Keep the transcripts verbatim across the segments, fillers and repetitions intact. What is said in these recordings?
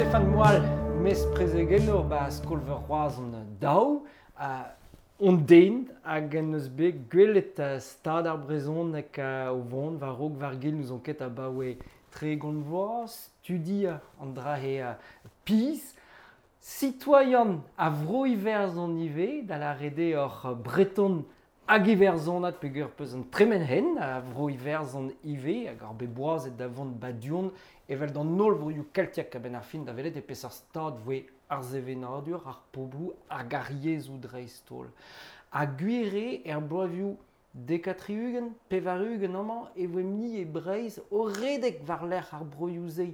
Stefan Moal, mes prezegennour ba skol-veur Roazhon daou, uh, on den hag en eus bet gwelet uh, stad ar brezhoneg uh, o vont war raok war gil n'ouzon ket abaoe tregont vloaz, studiañ an dra he uh, pizh, Citoyen a vro Iwerzhon ivez, da lâret eo oc'h breton hag iwerzhonat peogwir peus un tremen hen a vro Iwerzhon ivez hag ar bet boazet da vont ba du-hont evel d'an holl vroioù keltiek a-benn ar fin da welet e peseurt stad voe ar sevenadur, ar pobloù hag ar yezhoù dreist-holl. Ha gwir eo er bloavezhioù dek ha tri-ugent, pevar-ugent amañ e voe ni e Breizh o redek war-lerc'h ar broioù-se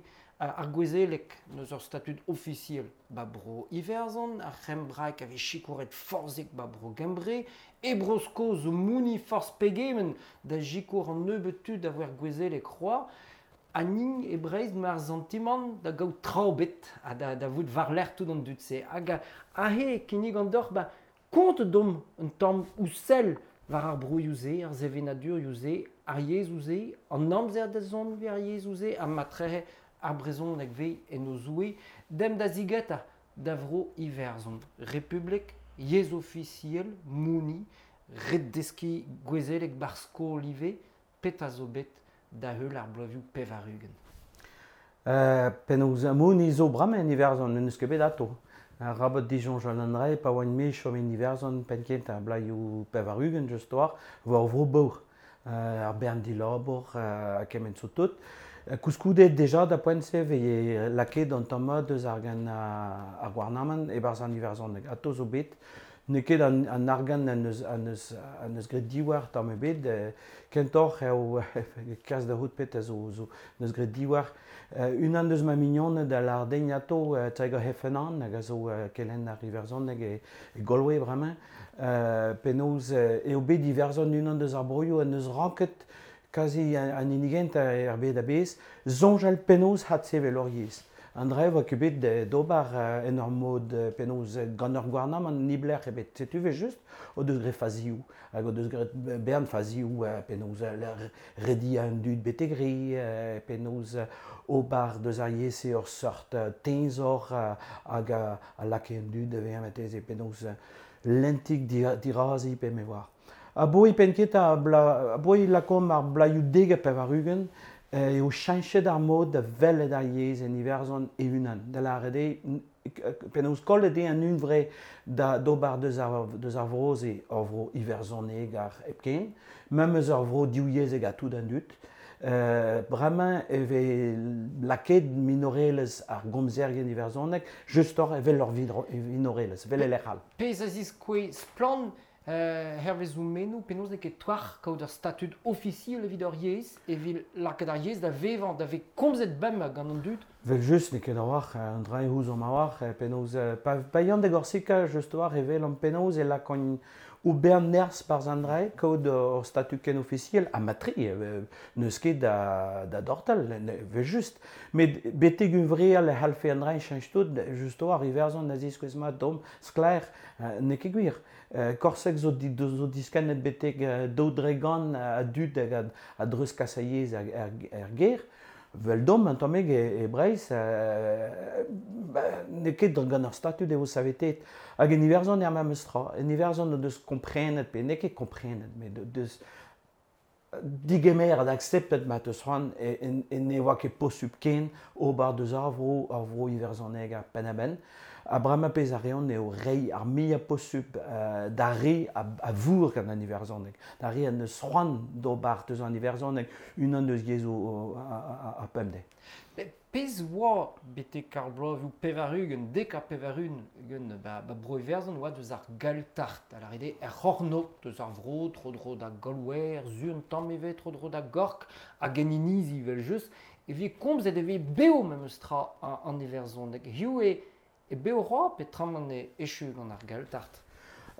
ar gouezeleg n'eus ur statud ofisiel ba bro Iwerzhon, ar c'hembraeg a vez sikouret forzhik ba bro Gembre, e Bro-Skos zo mouniñ forzh pegement da sikour an nebeud tud a voe ar gouezeleg c'hoazh, ha ni e Breizh 'ma ar santimant da gaout traoù bet ha da, da vout war-lerc'h tout an dud-se. Hag aze e kinnigan deoc'h ba kont domp un tamm ouzh sell war ar broioù-se, ar sevenadurioù-se, ar yezhoù-se, an amzer da zont evit ar yezhoù-se, ha matrehe ar brezhoneg vez en o zouez, demp da zigetañ da vro Iwerzhon. Republik, yezh ofisiel, mouniñ, ret deskiñ gouezeleg ba'r skol ivez, petra zo bet da heul ar bloavezhioù pevar-ugent. Euh, penaos mouniñ zo bremañ en Iwerzhon, n'eus ket bet atav. Arabat disoñjal an dra pa oan me chom en Iwerzhon penn-kentañ ar bloavezhioù pevar-ugent just war, war ur vro baour. Euh, ar bern dilabour euh, ha kement zo tout. Koulskoude deja da poent-se veze lakaet an tamm mat eus argant ar gouarnamant e-barzh an iwerzhoneg. Atav zo bet, n'eo ket an, an argant an eus, an eus, an eus graet diwar tamm ebet, kentoc'h eo kas da c'hoût petra zo, zo n'eus graet diwar. Unan eus ma mignoned a lâr din atav Tiger Heffernan hag a zo kelenner iwerzhoneg e, e Galway bremañ, penaos eo bet Iwerzhon unan eus ar broioù en deus ranket kazi an hini gentañ er bed a-bezh, soñjal penaos adsevel hor yezh. An dra e oa ket bet d'ober en ur mod penaos gant ur gouarnamant niblec'h ebet. Setu eo just o deus graet fazioù, hag o deus graet bern fazioù penaos rediañ an dud betek re, penaos ober deus ar yezh-se ur seurt teñzor hag a lakae an dud da vezañ marteze penaos lentik dirazi pe me oar. Aboe penn-kentañ aboe lakaomp ar bloavezhioù dek ha pevar-ugent eo cheñchet ar mod da welet ar yezh en Iwerzhon e-unan. Da lâret eo, penaos kollet eo an hunvre da d'ober deus ar, deus ar vro-se ur vro iwerzhoneg ar hepken, memes ur vro divyezhek ha tout an dud. Euh, bremañ e vez lakaet minorelezh ar gomzerien iwerzhoneg justoc'h evel ur vinorelezh, evel e lec'h all. Pezh a ziskouez splann Euh, hervez o menoù, penaos n'eo ket twar kaout ur statud ofisiel evit ur yezh, evit lakaat ar yezh da vevañ, da vez komzet bemdez gant an dud. Vel just n'eo ket a-walc'h, an dra eo ouzomp a-walc'h, penaos, pa, pa yan da Gorsika just war evel an penaos e lakaont ober nerzh barzh an dra kaout ur statud ken ofisiel, ha matre, n'eus ket da, da dortal, vel just. Met betek hunvreal e c'hallfe an dra cheñch tout, just war Iwerzhon a ziskouez mat domp sklaer, n'eo ket gwir. Korseg zo, di, zo diskennet betek daou dregont a dud hag a dreuzkas a yezh er, er, er gêr. Vel domp un tammig e, e Breizh, euh, n'eo ket gant ur statud eo savetet. Hag en Iwerzhon eo ar memes tra. En Iwerzhon o deus komprenet, pe n'eo ket komprenet, met o deus digemeret, akseptet ma teus c'hoant e, e, ne oa ket posupl ken ober deus ar vro, ar vro iwerzhoneg ar penn-a-benn. Ha bremañ pezh a reont eo reiñ ar muiañ posupl euh, d'ar re a, a vour gant an iwerzhoneg, d'ar re an eus c'hoant d'ober deus an iwerzhoneg unan eus yezhoù ar pemdez. Pezh oa betek ar bloavezhioù pevar-ugent, dek ha pevar-ugent ba, ba bro Iwerzhon oa deus ar Gaeltacht, a lâret eo er c'hornôg deus ar vro, tro-dro da Galway, er su un tamm ivez, tro-dro da Gork, hag en inizi evel-just, e vez komzet e vez bev memes tra an iwerzhoneg. Hiziv eo e bev c'hoazh peotramant e echu gant ar Gaeltacht.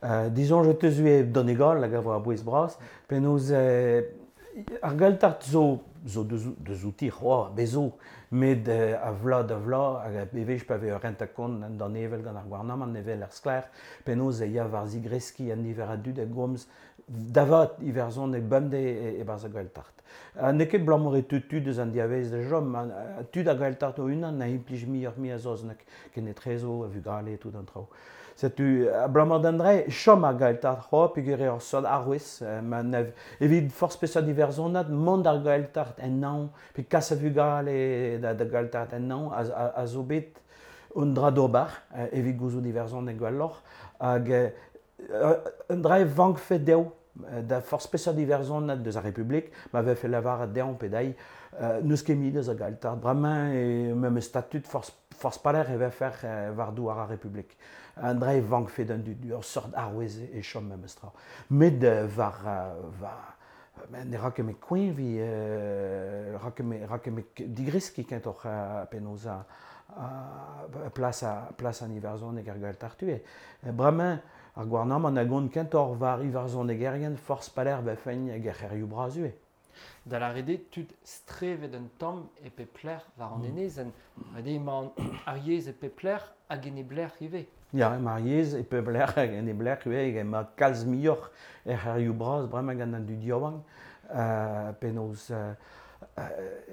Euh, disons, je te suis Donegal, hag a vo a bouez bras, penaos euh, Ar Gaeltacht zo, zo deus, deus outi c'hoa, bezo, met a vla da vla, hag bevej pa vez ur renta kont an d'an evel gant ar gouarnamant evel ar sklaer, penaos e ya war zigreski an niver a dud a gomz davat iwerzhoneg bemdez e, e barzh ar Gaeltacht. Ha n'eo ket abalamour e teu tud eus an diavez da chom, tud ar Gaeltacht o-unan a implij muioc'h mui a saozneg, ken etrezo, a vugale, tout an traoù. Setu, abalamour d'an dre, chom ar Gaeltacht c'hoa, peogwir eo ur seurt arouez, ma nev, evit forzh peseurt iwerzhonad, mont ar Gaeltacht en naon, pe kas a vugale da, da Gaeltacht en naon, a, a, a zo bet un dra d'ober, evit gouzout iwerzhoneg gwelloc'h, hag un dra e vankfe dezho, da forzh peseurt iwerzhonad deus ar Republik, ma vefe lavaret dezhañ pe dezhi, n'eus ket mui deus ar Gaeltacht. Bremañ e memes statut forzh forzh paler e vefer war douar ar Republik. An dra e vankfe d'an dud, ur seurt arouez e chom memes tra. Met war, war ne ra ket me koeñvi, ra ket me, ra ket me digreski kentoc'h penaos a, a plas, a, plas an iwerzhoneg ar Gaeltacht ivez. Bremañ, ar gouarnamant a gont kentoc'h war iwerzhonegerien forzh paler vefen hag ar c'hêrioù bras ivez. Da lâret eo tud strevet un tamm e pep lec'h war an enezenn. Ret eo emañ ar yezh e pep lec'h hag en e blec'h ivez. Ya, emañ ar yezh e pep lec'h hag en e blec'h ivez, emañ kalz muioc'h er c'hêrioù bras bremañ gant an dud yaouank, euh, penaos euh,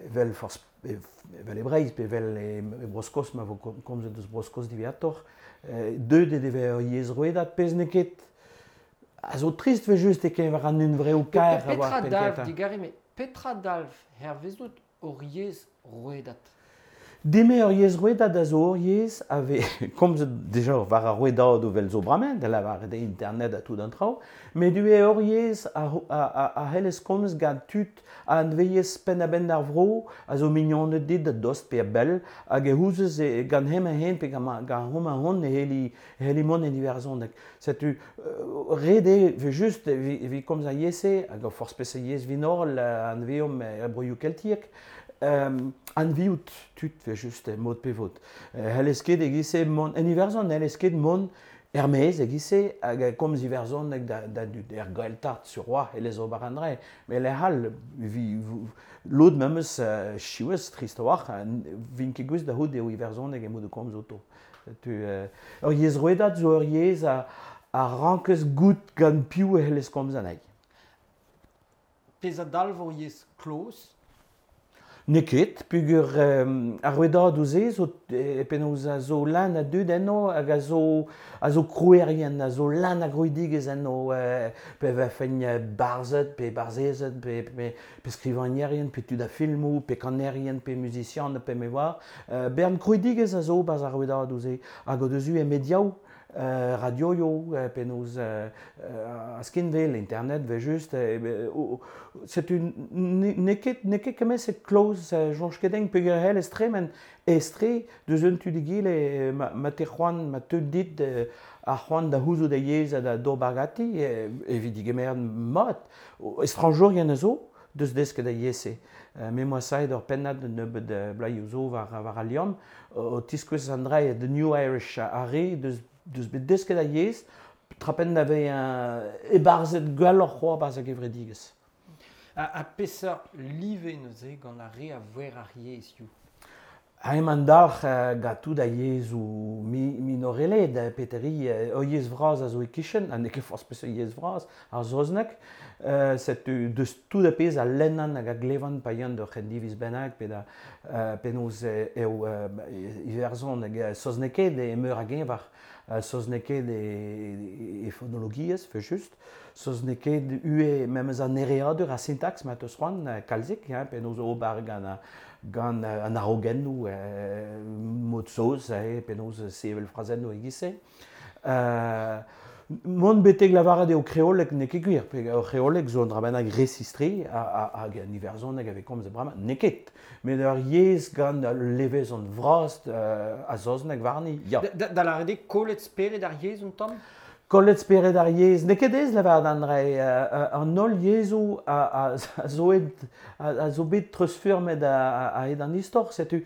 evel forzh evel e Breizh pe evel e, e Bro-Skos, ma vo komzet eus Bro-Skos diwezhatoc'h, deuet eo eo ur yezh rouedad, pezh n'eo ket a zo trist ve just e keñver an hunvreoù kaer a oa Petra dalv, digare, met petra dalv hervezout ur yezh rouedad? Deme ur yezh rouedad a zo ur yezh a vez komzet deja war ar rouedadoù vel zo bremañ, da lavaret eo internet ha tout an traoù, met ivez ur yezh a, a, a, a c'hellez komz gant tud a anveiez penn-a-benn ar vro, a zo mignoned dit da dost pe a bell, hag e ouzez e, gant hemañ-hen pe gant, gant homañ-hont e c'helli, e c'helli mont en iwerzhoneg. Setu, ret eo ve just evit komz ar yezh-se, hag ur forzh peseurt yezh vinorel anveomp er broioù keltiek, Um, anviout tud ve just mod pe vod. C'hellez ket e-giz-se mont en Iwerzhon, n'hellez ket mont er-maez e-giz-se hag komz iwerzhoneg da, da dud er Gaeltacht sur oa c'hellez ober an dra. Met lec'h all, vi, lod memes uh, siwazh trist a-walc'h, vin ket gouest da c'hoût eo iwerzhoneg emañ da komz outo. Tu, uh, ur yezh rouedad zo ur yezh a, a rankez goût gant piv e c'hellez komz anezhi. Pezh a dalv ur yezh kloz? N'eo ket, peogwir euh, ar rouedadoù-se zo e, penaos a zo lan a dud enno hag a zo, a zo krouerien, a zo lan a grouidigezh enno, euh, pe vefen barzhed, pe barzhezed, pe, pe, pe skrivagnerien, pe tud a filmoù, pe kanerien, pe muzisian, pe me oar. Euh, bern krouidigezh a zo barzh ar rouedadoù-se, hag o deus eu e mediaoù, Euh, radioioù, euh, penaos euh, euh, a skinwel, internet, ve just, euh, oh, setu n'eo ket, n'eo ket kement-se kloz, soñj ket din peogwir c'hellez tremen estre deus un tu d'egile, ma, ma te c'hoant, ma teu dit ar c'hoant da c'houzout a yezh ha da d'ober ganti, evit digemer mat. Estrañjourien a zo deus desket a yezh-se. Me moa saet ur pennad nebeut bloazioù zo war, war al liamm, o tiskouez an dra The New Irish ar re deus deus bet desket a yezh, trapen da vez e-barzhet gwelloc'h c'hoazh barzh ar gevredigezh. Ha, ha peseurt live neuze gant ar re a voer ar yezhioù? Ha emañ dalc'h gant tout a yezhoù mi, minoreled, peteri, ur yezh vras a zo e-kichen, ha n'eo ket forzh peseurt yezh vras, ar saozneg, euh, setu deus tout a pezh a lennan hag a glevan pa yan d'ur c'hendiviz bennak pe da euh, penaos eo euh, Iwerzhon hag saoznekaet e meur a geñver, saoznekaet e, e, e fonologiezh, fe just, saoznekaet ue memes an ereadur a sintaks ma teus c'hoant kalzik, hein, penaos ober gant gant an arogennoù, euh, mod saoz, eh, penaos sevel frazennoù e-giz-se. Euh, mont betek lavaret eo kreoleg n'eo ket gwir, pe ur kreoleg zo un dra bennak resistre hag an iwerzhoneg a vez komzet bremañ, n'eo ket. Met ur yezh gant levezon vras euh, a saozneg warni, ya. Da, da lavaret eo kollet spered ar yezh un tamm? Kollet spered ar yezh, n'eo ket aes lavaret an dra, an holl yezhoù a, a, a zo et, a, a zo bet treuzfurmet a-hed an istor, setu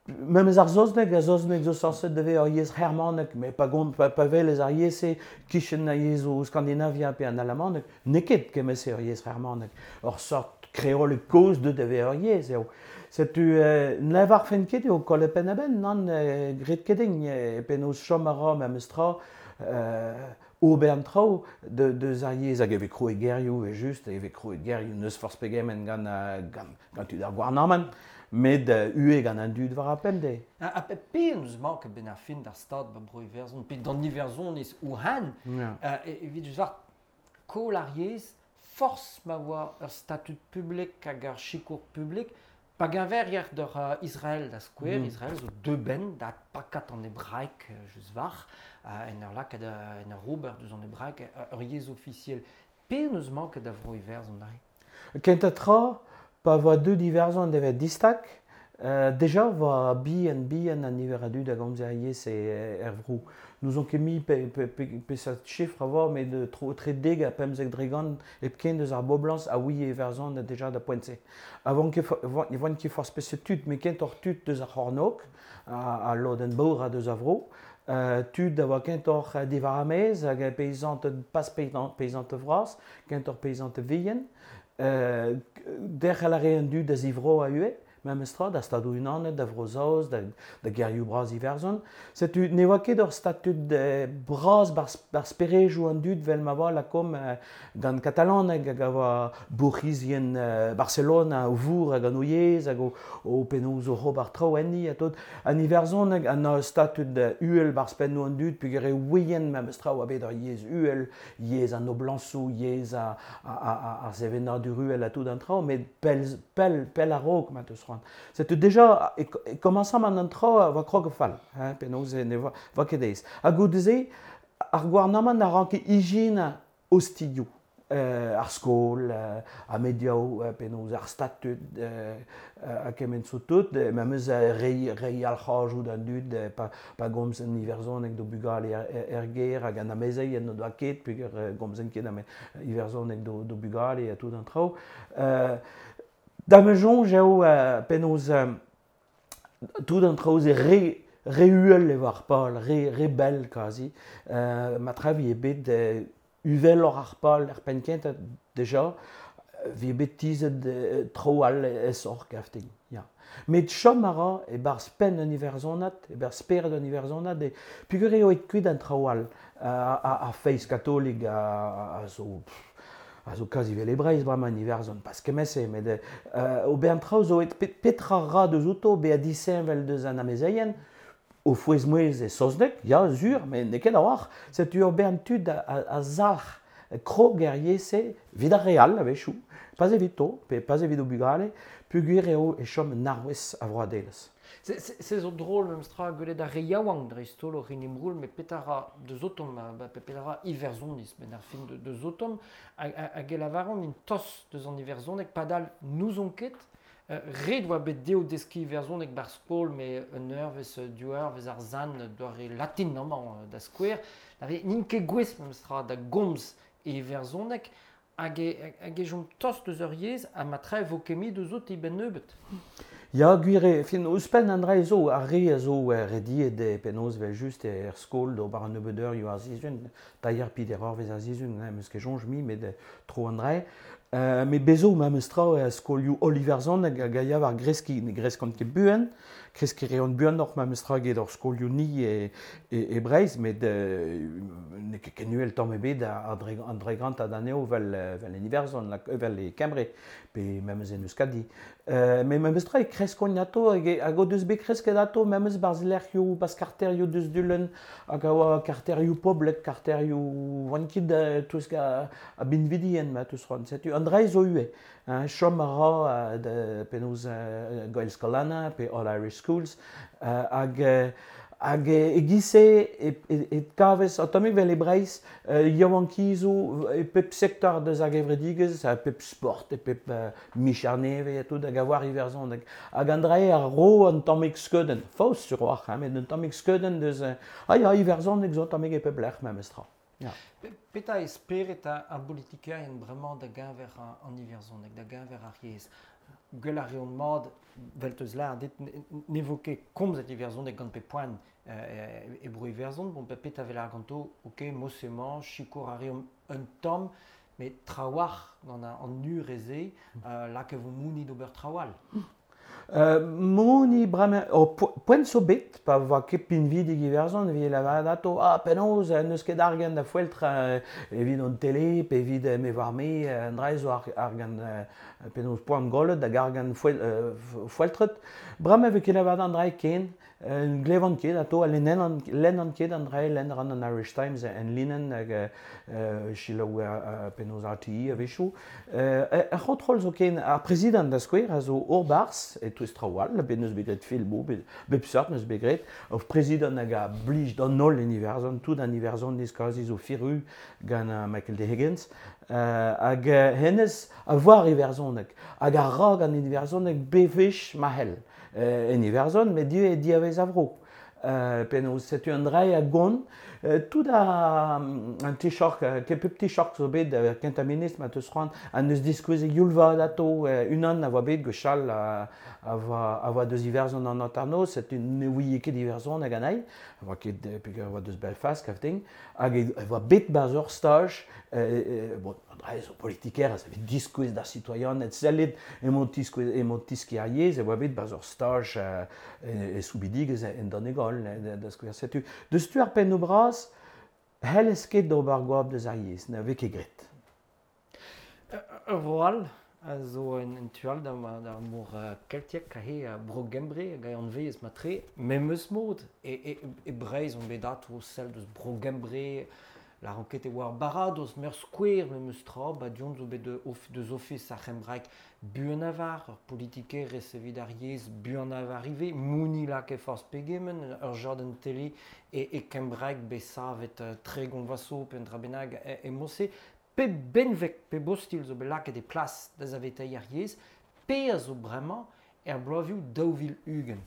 memes ar saozneg, ar saozneg zo sañset da vezañ ur yezh c'hermanek, met pa gont pa, pa welez ar yezh-se kichen ar yezhoù Skandinavia pe an alamaneg, n'eo ket kement-se ur yezh c'hermanek. Ur sort Kreol koz deut da ur yezh eo. Setu euh, n'levar fen ket eo kolle pen a ben, nan euh, gret ket egn, euh, penaos chom a ra memes tra euh, ober an traoù de, deus ar yezh hag e vez kroet gerioù e just, e vez kroet gerioù neus forzh pegement gant, gant, gant tud ar gouarnamant, met uh, ue gant an dud war a pemde. A, a pe pe eus mank ben ar fin d'ar stad ba bro Iwerzhon, pe d'an Iwerzhon ez ouhan, yeah. euh, evit just war kol ar yezh, force ma oa ur statut publik hag ar sikour publik, pa geñverier d'ur uh, Israel da skouer, mm. Israel zo deux ben da pakat an hebraek just war, uh, en ur lak en ur ober deus an hebraek ur yezh ofisiel. Pe neus mank da vro Iwerzhon dare? Kentañ tra, pa voa deut Iwerzhon devet distak, euh, deja voa bihan bihan an niver a dud a gomz ar yezh e er vro. Nous on ket mi pe, pe, pe, pe sa chifr a vo, met de tro tre deg a pemzek dregant hepken deus ar boblañs a oui e Iwerzhon deja da poent-se. Avant ket voan ket forzh peseurt tud, met kentoc'h tud deus ar c'hornôg, a, a lodenn baour a deus a vro, Uh, tud a oa kentoc'h diwar ar maez hag peizant pas peizant vras, kentoc'h peizant vihan, uh, derc'hel a re an dud a zivro a ue, memes tra, da stadoù unanet, da Vro-Saoz, da, da gerioù bras Iwerzhon. Setu ne oa ket ur statud eh, bras bar, bar sperejoù an dud vel ma oa lakom eh, gant katalaneg hag a oa bourc'hizien eh, Barcelona o vour hag an o yezh hag o, o penaos o c'hober traoù enni ha tot. An Iwerzhoneg an ur statud uhel bar spennoù an dud peogwir e ouien memes tra oa bet ur yezh uhel, yezh an noblañsoù, yezh a, a, a, a, ar sevenadur uhel ha tout an traoù, met pell, pell, pell a-raok ma teus. Setu deja e, e komañsam an an traoù a oa krog fall, hein, penaos ne voa, voa ket aes. Ha goude-se, ar gouarnamant a ranke ijinañ ostilhoù, euh, ar skol, euh, ar mediaoù, euh, penaos ar statud, euh, ha kement zo tout, memes rei, rei al c'hajoù d'an dud, pa, pa gomz an Iwerzhoneg d'o bugale er, er gêr hag an amezeien n'o doa ket, peogwir gomzen ket am Iwerzhoneg d'o, d'o bugale ha tout an traoù. Euh, Da ma soñj eo euh, penaos euh, tout an traoù se re, re uhel e war pal, re, re bell kazi. Euh, ma tra vi e bet euh, uveloc'h ar pal er penn kentañ deja, vi e bet tizhet euh, traoù all esoc'h gaftin. Ya. Met chom a ra e barzh penn an Iwerzhonad, e barzh spered an Iwerzhonad, e peogwir eo aet kuit an traoù all, ar feiz katolik a, a zo... Pff, a zo kazi vel e Breizh bremañ an Iwerzhon, pas kement-se, met euh, ober an traoù zo et petra ra deus outo bezañ disheñvel deus an amezeien, o fouez-mouezh e saozneg, ya, sur, met n'eo ket a-walc'h. Setu ober an tud a, a, a zalc'h krog er yezh-se evit ar re all a-wechoù, pas evito, pe pas evit o bugale, peogwir eo e chom un arouez a vroadelezh. Se zo drôl memes tra gwelet ar re yaouank dreist-holl o rin imroul, met petra ra deus otomp, pe petra ra Iwerzhoniz, ben ar fin deus otomp, hag e lavaran int tos deus an Iwerzhoneg, padal n'ouzon ket, ret oa bet dezho deskiñ Iwerzhoneg bar skol, met un eurvezh, div eurvezh ar zan doare latin amañ da skouer, n'int ket gouest memes tra da gomz e Iwerzhoneg, hag e, hag e chom tost deus ur yezh, ha ma tra e vo ket mi deus out e-benn nebeut. Ya, gwir eo, fin, ouzhpenn an dra zo, ar re a zo rediet e penaos vel just er skol d'ober an nebeut eurioù ar sizhun, tailher peder eurvezh ar sizhun, hein, meus ket soñj mi, met tro an dra. Euh, met bezo memes tra e skolioù holl Iwerzhoneg hag a ya war greskiñ, ne greskont ket buan, kreskiñ reont buanoc'h memes tra get hor skolioù ni e, e, e Breizh, met euh, n'eo ket ken uhel tamm ebet an dregant ad anezho vel, vel en Iwerzhon, vel e Kembre, pe memes en Euskadi. Euh, met memes tra e kreskont ato, hag, hag o deus bet kresket ato memes barzh lec'hioù, barzh karterioù deus Dulenn, hag a oa karterioù poblek, karterioù oant ket touesk a, a binvidien, ma teus c'hoant. Setu an dra zo ivez, hein, chom a ra uh, penaos uh, Gaelscoileanna pe All Irish Schools, uh, hag, hag e-giz-se e, e, e kavez, an tammig vel e Breizh, uh, yaouankizoù e pep sektor deus ar gevredigezh, e pep sport, e pep uh, micher nevez ha tout, hag a war Iwerzhoneg. Hag an dra a ro an tammig skeudenn, faos sur a-walc'h, hein, met un tammig skeudenn deus, uh, ah ya, Iwerzhoneg zo tammig e pep lec'h memes tra. Ya. Petra e spered ar politikerien bremañ da geñver an Iwerzhoneg, da geñver ar yezh? Gwell ar reont mat, vel teus lâr, dit ne vo ket komzet Iwerzhoneg gant pep poan euh, e bro Iwerzhon, bon, petra vel ar ganto, ok, mosemañ, sikour a reomp un tamm, met trawar gant an nur eze, euh, lak e vo mouni d'ober trawal. Euh, mouni bremañ, o poent zo bet, pa voa ket pinvidik Iwerzhon, evit lavaret ato, ah, penaos, n'eus ket argant da foeltr evit an tele, pe evit me war me, an dra zo ar, argant penaos poan gollet hag argant foel, foeltret. Bremañ vez ket lavaret an dra ken, glevan ket ato, ha lennan, lennan ket an dra, lenn ran an Irish Times en linen hag uh, selaou uh, penaos R T E a-wechoù. Uh, ar c'hontrol zo ken, ar prezident da skouer a zo ur barzh, e touez traoù all, bet neus bet graet filmoù, bet, bep seurt neus bet graet, ur prezident hag a blij d'an holl en Iwerzhon, tout an Iwerzhon neus kazi zo firu gant uh, Michael D. Higgins, uh, hag uh, hennezh a voar Iwerzhoneg, hag a ra gant Iwerzhoneg bevech ma c'hell. En Iwerzhon, met div e diavez a vro. Uh, penaos setu an dra a gont, uh, tout a an Taoiseach, ket pep Taoiseach zo bet uh, kentañ ministr ma teus c'hoant, an neus diskouez e youlvad ato, uh, unan a voa bet gwechall a, a voa, a voa deus Iwerzhon an hanternoz, setu ne ouie ket Iwerzhon hag an ail, a voa ket peogwir a voa deus Belfast, kavting, hag e voa bet barzh ur staj, uh, uh, bon, an dra zo politiker, a vez diskouez d'ar citoyen, et sellet emañ tiskouez, emañ tiski ar yezh, e voa bet barzh ur staj uh, e, e soubidigezh en Donegal, da skouer setu. Deus tu ar pennoù bras, c'hellez ket d'ober goap deus ar yezh, na vez ket graet. Ur vro all a zo en, en tu all d'ar, d'ar mor uh, keltiek, a he uh, bro Gembre hag a anvez matre, memes mod, e, e, e Breizh on bet ato sell deus bro Gembre, la ranket e oa ar baradoz, meur skouer memes tra, ba dion zo bet of, deus ofis ar c'hembraek buan avar, ur politikerez evit ar yezh buan avar ivez, mouni lak e forzh pegement, ur jordan tele e, e kembraek bet savet uh, tregont vaso pe un dra bennak e, e mose, pe benveg, pe bostil zo bet lakaet e plas da zaveteiñ ar yezh, pe a zo bremañ er bloavioù daou vil ugent.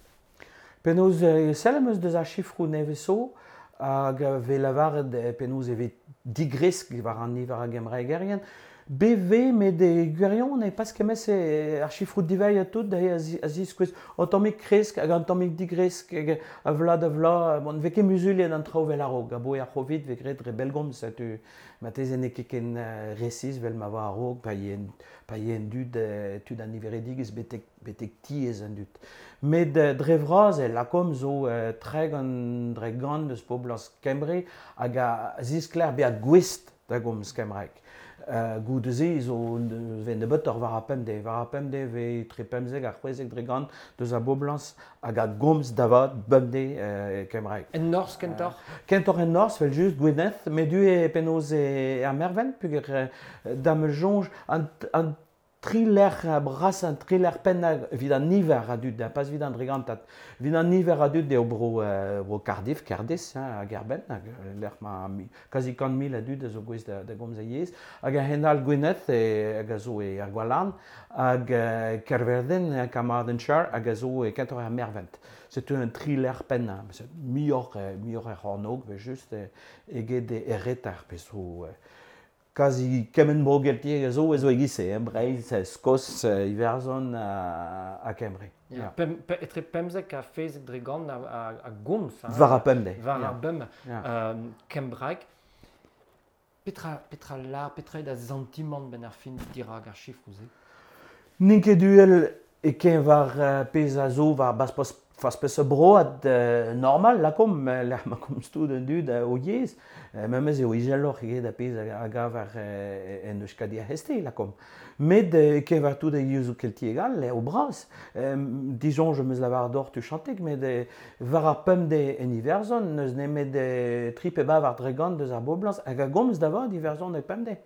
Penaos sell am eus deus ar chifroù nevez zo, hag vez lavaret penaos e vez digresk war an niver a gembraegerien. B V met e gwirion e pas kemmes e ar chifroù divailh a tout da a ziskouez an tammig kresk hag an tammig digresk hag a vla da vla, bon, vez ket muzuliet an traoù vel a-raok, a boe ar Covid vez graet dre bellgomz, setu mateze n'eo ket ken resis vel ma oa a-raok, pa yen, pa yen dud, tud an niveredigezh betek, betek tiez an dud. Met dre vras e lakom zo tregont dre gant eus poblañs Kembre hag a ziskler bezañ gouest da gomz kembraeg. Uh, goude-se zo vez nebeutoc'h war ar pemdez, war ar pemdez vez tre pemzek ha c'hwezek dre gant deus ar boblañs hag a gomz davat bemdez uh, kembraeg. En norzh kentoc'h? Uh, kentoc'h en norzh, vel just Gwynedd, met du e penaos e ar Mervent, peogwir uh, da me soñj an, an tri lec'h bras an tri lec'h pennañ evit an niver a dud, pas evit an dregantad. Evit an niver a dud eo bro, uh, bro Cardiff, Cardiff, hein, hag Erben, hag lec'h ma kazi kant mil a dud a zo gouest da, da gomz a yezh, hag a henal Gwynedd e, hag a zo e ar Gwalarn, hag uh, Kerverden, Carmarthenshire, hag a zo e kentoc'h ar Mervent. Setu un tri lec'h pennañ, muioc'h, muioc'h er c'hornôg, pe just eget e reter, pe zo... Kazi kement bro geltiek a zo e zo e-giz-se, hein, Breizh, Skos, Iwerzhon ha, ha Kembre. Yeah. Pem, pe, etre pemzek ha fezek dre gant a, a, a gomz. Hein, war ar pemdez. War yeah. ar bemdez. Yeah. Euh, Kembraeg. Petra, petra lar, petra eo da santimant ben ar fin dirak ar chifroù-se? N'int ket duel e ken war uh, pezh a zo war bas pos fas peus broad uh, normal, lakom, lec'h ma komz tout an dud uh, o yezh, uh, memes eo izeloc'h eget a pezh a gav ar uh, en Euskadi ar Heste, lakom. Met uh, ken war tout a yezhoù keltiek all, eo bras. Um, disoñj am eus lavar d'or tu chantek, met uh, war ar pemdez en Iwerzhon, n'eus nemet uh, tri pe bav ar dregant deus ar boblañs, hag a gomz da vat Iwerzhon e pemdez.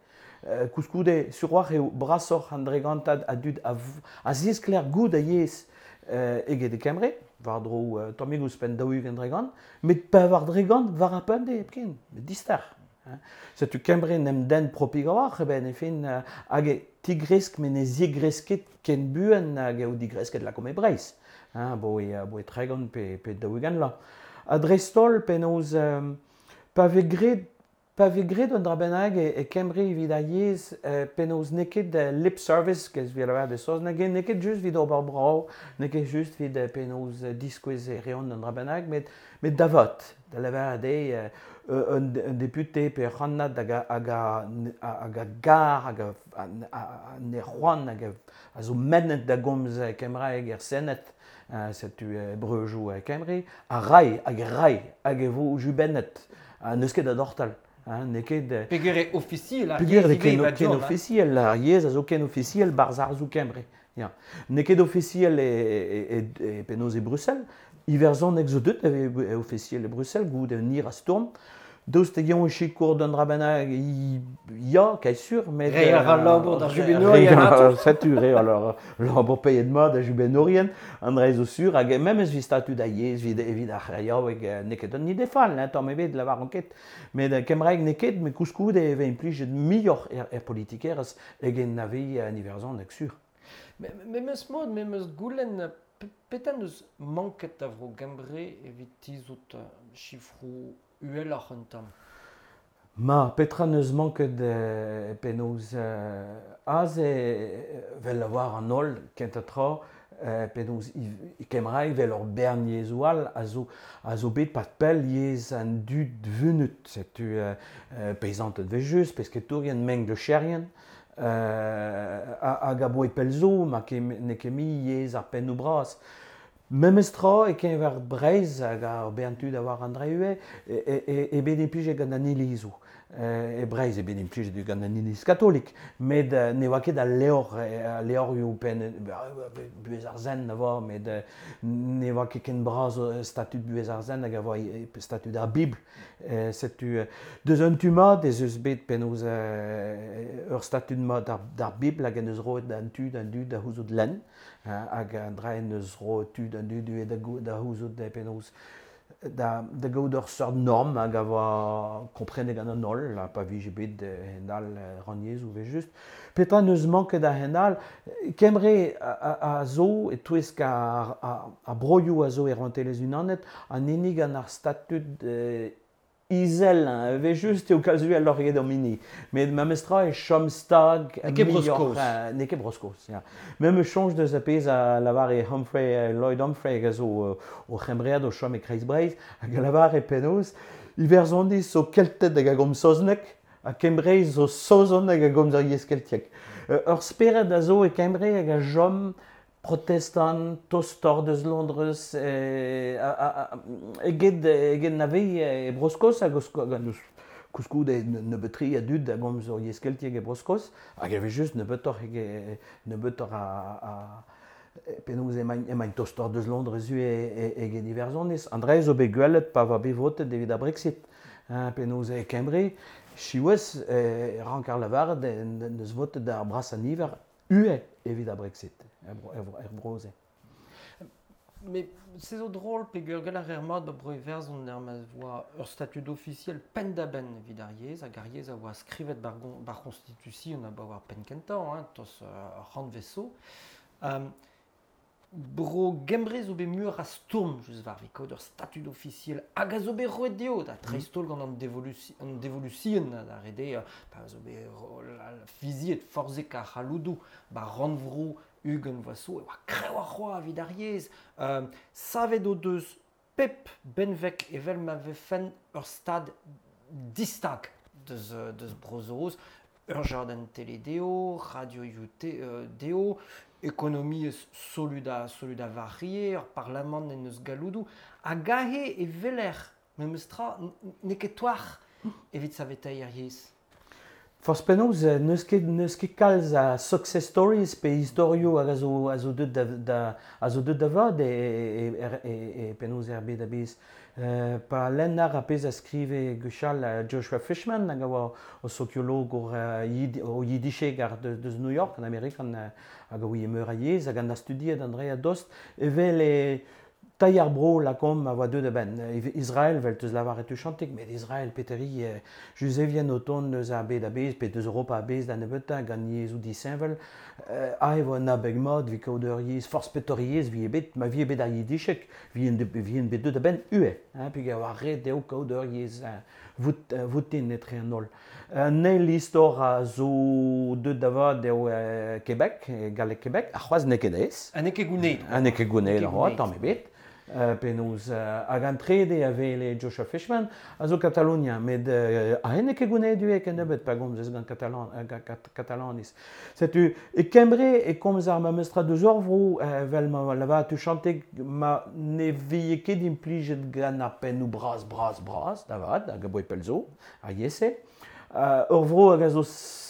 Uh, koulskoude, surwar eo brasoc'h an dregantad a dud a, a ziskler goud a yezh uh, eget e Kembre, war dro uh, tammig ouzhpenn daou-ugent dregant, met pevar dregant war ar pemdez hepken, met dister. Hein. Setu Kembre n'em den propig a-walc'h, eben e fin uh, hag e tigresk met ne zigresket ken buan hag eo digresket lakom e Breizh. Hein, bo e, bo e tregont pe, pe daou-ugent la. Ha dreist-holl penaos um, pa vez graet Pa vez graet un dra bennak e, e Kembre evit ar yezh, eh, penaos n'eo ket lip service, kez evit lavar de saozneg, n'eo ket just evit ober brav, n'eo ket just evit penaos diskouez e reont un dra bennak, met, met da vat, da lavaret eo, un, un député pe ur c'hannad hag a, hag a, hag a gar hag a, a, a, a ne c'hoant hag a, a zo mennet da gomz kembraeg er Sened, uh, setu uh, breujoù uh, Kembre, a rai hag rai hag e vo jubennet, uh, n'eus ket da dortal. Hein, n'eo ket... Peogwir eo ofisiel ar yezh ivez, ken, ken ofisiel, ar yezh a zo ken ofisiel barzh arzoù Kembre. Ya. N'eo ket ofisiel e, e, e, e penaos e Bruxelles, Iwerzhoneg zo deut e ofisiel e Bruxelles, goude un hir a stourm. Daoust hag eñ e sikour d'un dra bennak, ya, kae sur, met... Reiñ a ra labour d'ar jubennourien ato. Setu, re, alors, labour paeet mat da jubennourien, an dra zo sur, hag memes evit statud a yezh, evit, evit ar c'heriaoueg, n'eo ket un ide fall, hein, tamm ebet, lavar an ket. Met kembraeg n'eo ket, met koulskoude e vez implijet muioc'h er, er politikerezh eget na vez an Iwerzhoneg sur. Memes mod, memes goulenn, petra n'eus manket da vro Gembre evit tizhout sifroù uheloc'h un tamm? Ma, petra n'eus manket euh, penaos euh, aze vel lavar an holl kentañ tra euh, penaos kembraeg vel ur bern yezhoù all a zo, a zo bet pad pell yezh an dud vunut. Setu euh, peizanted vez just, pesketourien, mengleuzcherien, euh, hag a boe pell zo, ma n'eo ket mui yezh ar pennoù bras. Memes tra e keñver Breizh hag ar bern tud a war an dra ivez, e, e, e bet implijet gant an ilizoù. E Breizh e bet implijet gant an iliz katolik, met ne oa ket al levr, al levrioù penn buhez ar sent a oa, met ne oa ket ken bras statud buhez ar sent hag a oa statud ar Bibl. Setu deus un tu mat ez eus bet penaos ur statud mat d'ar Bibl hag en eus roet an tu d'an dud da c'houzout lenn, hag an dra en eus roet tu d'an dud da c'houzout penaos da, da gaout ur seurt norm hag a oa komprenet gant an holl, ha pa vije bet hend-all rannyezhoù vez just. Petra n'eus manket a hend-all, Kembre a, a, a zo e-touesk ar, ar, ar broioù a zo e Rouantelezh Unanet, an hini gant ar statud eh, izel, hein, vez just eo kalz uheloc'h eget an hini. Met memes tra e chom stag N'eo ket Bro-Skos. N'eo ket Bro-Skos, ya. Memes soñj deus ar pezh a lavare Humphrey, Lloyd Humphrey hag a zo o c'hembread o chom e Kreiz Breizh, hag a lavare penaos Iwerzhoniz zo Kelted hag a gomz saozneg, ha Kembreiz zo Saozon hag a gomz ar yezh keltiek. Ur spered a zo e Kembre hag a chom protestant, tostoc'h deus Londrez, eget, eget na vez e Bro-Skos hag eus koulskoude nebeut-tre a dud a gomz ur yezh keltiek e Bro-Skos, hag e vez just nebeutoc'h nebeutoc'h a, a penaos emaint, emaint tostoc'h deus Londrez eget Iwerzhoniz. An dra zo bet gwelet pa oa bet votet evit ar Brexit, hein, penaos e Kembre, siwazh e rank ar lavaret neus votet ar brasañ niver ue evit ar Brexit, er, er, er bro-se. Mais se zo drol peogwir gall ar mat ba bro Iwerzhon er ma voa ur statud ofisiel penn-da-benn evit ar yezh, hag ar yezh a oa skrivet bar, bar Constitution a ba war penn kentañ, hein, tos uh, c'hantvet zo. Um, Bro Gembre zo bet meur a stourm just war evit kaout ur statud ofisiel hag a zo bet roet dezho da dreist-holl gant an devolusi, an devolusion da rede pa zo bet fiziet forzhek ar c'halloudoù ba rannvro ugent vloaz zo e oa kreñv ar c'hoaz evit ar yezh. Euh, savet o deus pep benveg evel ma vefen ur stad distag deus, deus Bro-Saoz, ur jarden tele dezho, radioioù dezho, ekonomiezh solud a, solud a varie, ur parlamant en eus galloudoù, hag aze e weler memes tra n'eo ket toar evit saveteiñ ar yezh. Forzh penaos, n'eus ket, n'eus ket kalz a success stories pe istorioù hag a zo, a zo deut da, da, a zo deut da vat e, e, e, e, e penaos er bed a-bezh. Euh, pa lennar ar pezh a skrive gwechall Joshua Fishman hag a oa o sokiologour uh, o yiddisheg ar deus New York, an Amerikan, hag a oa meur a yezh hag an a studiet an dre a dost, evel e tailh ar bro lakomp a oa deut a-benn. Israel, vel teus lavaret tuchantik, met Israel peteri eh, Juzevien o tont eus ar bed a-bezh, pe deus Europa a-bezh da nebeutañ gant yezhoù disheñvel, euh, ae vo an abeg mat evit kaout ur yezh, forzh petor yezh vi ebet, ma vi ebet ar yiddisheg, vi en bet deut a-benn ue, hein, peogwir a oa ret eo kaout ur yezh vout, voutin etre an holl. Un eil istor a zo deut da vat eo Québec, galleg Québec, ar c'hoazh n'eo ket aes. Ha n'eo ket gounezet. Ha n'eo ket gounezet, tamm ebet. Uh, penaos uh, hag an trede a vele Joshua Fishman a zo Katalonia, met uh, a henne ket gounet duek en nebeut pa gomz gant Katalan, uh, kat, Katalanis. Setu, e Kembre e komz ar ma meustra deus ur vro, uh, vel ma lava tu chante ma ne vie ket implijet gant ar pennoù bras, bras, bras, da vat, hag a boe pell zo, ar yese. Uh, ur vro hag a zo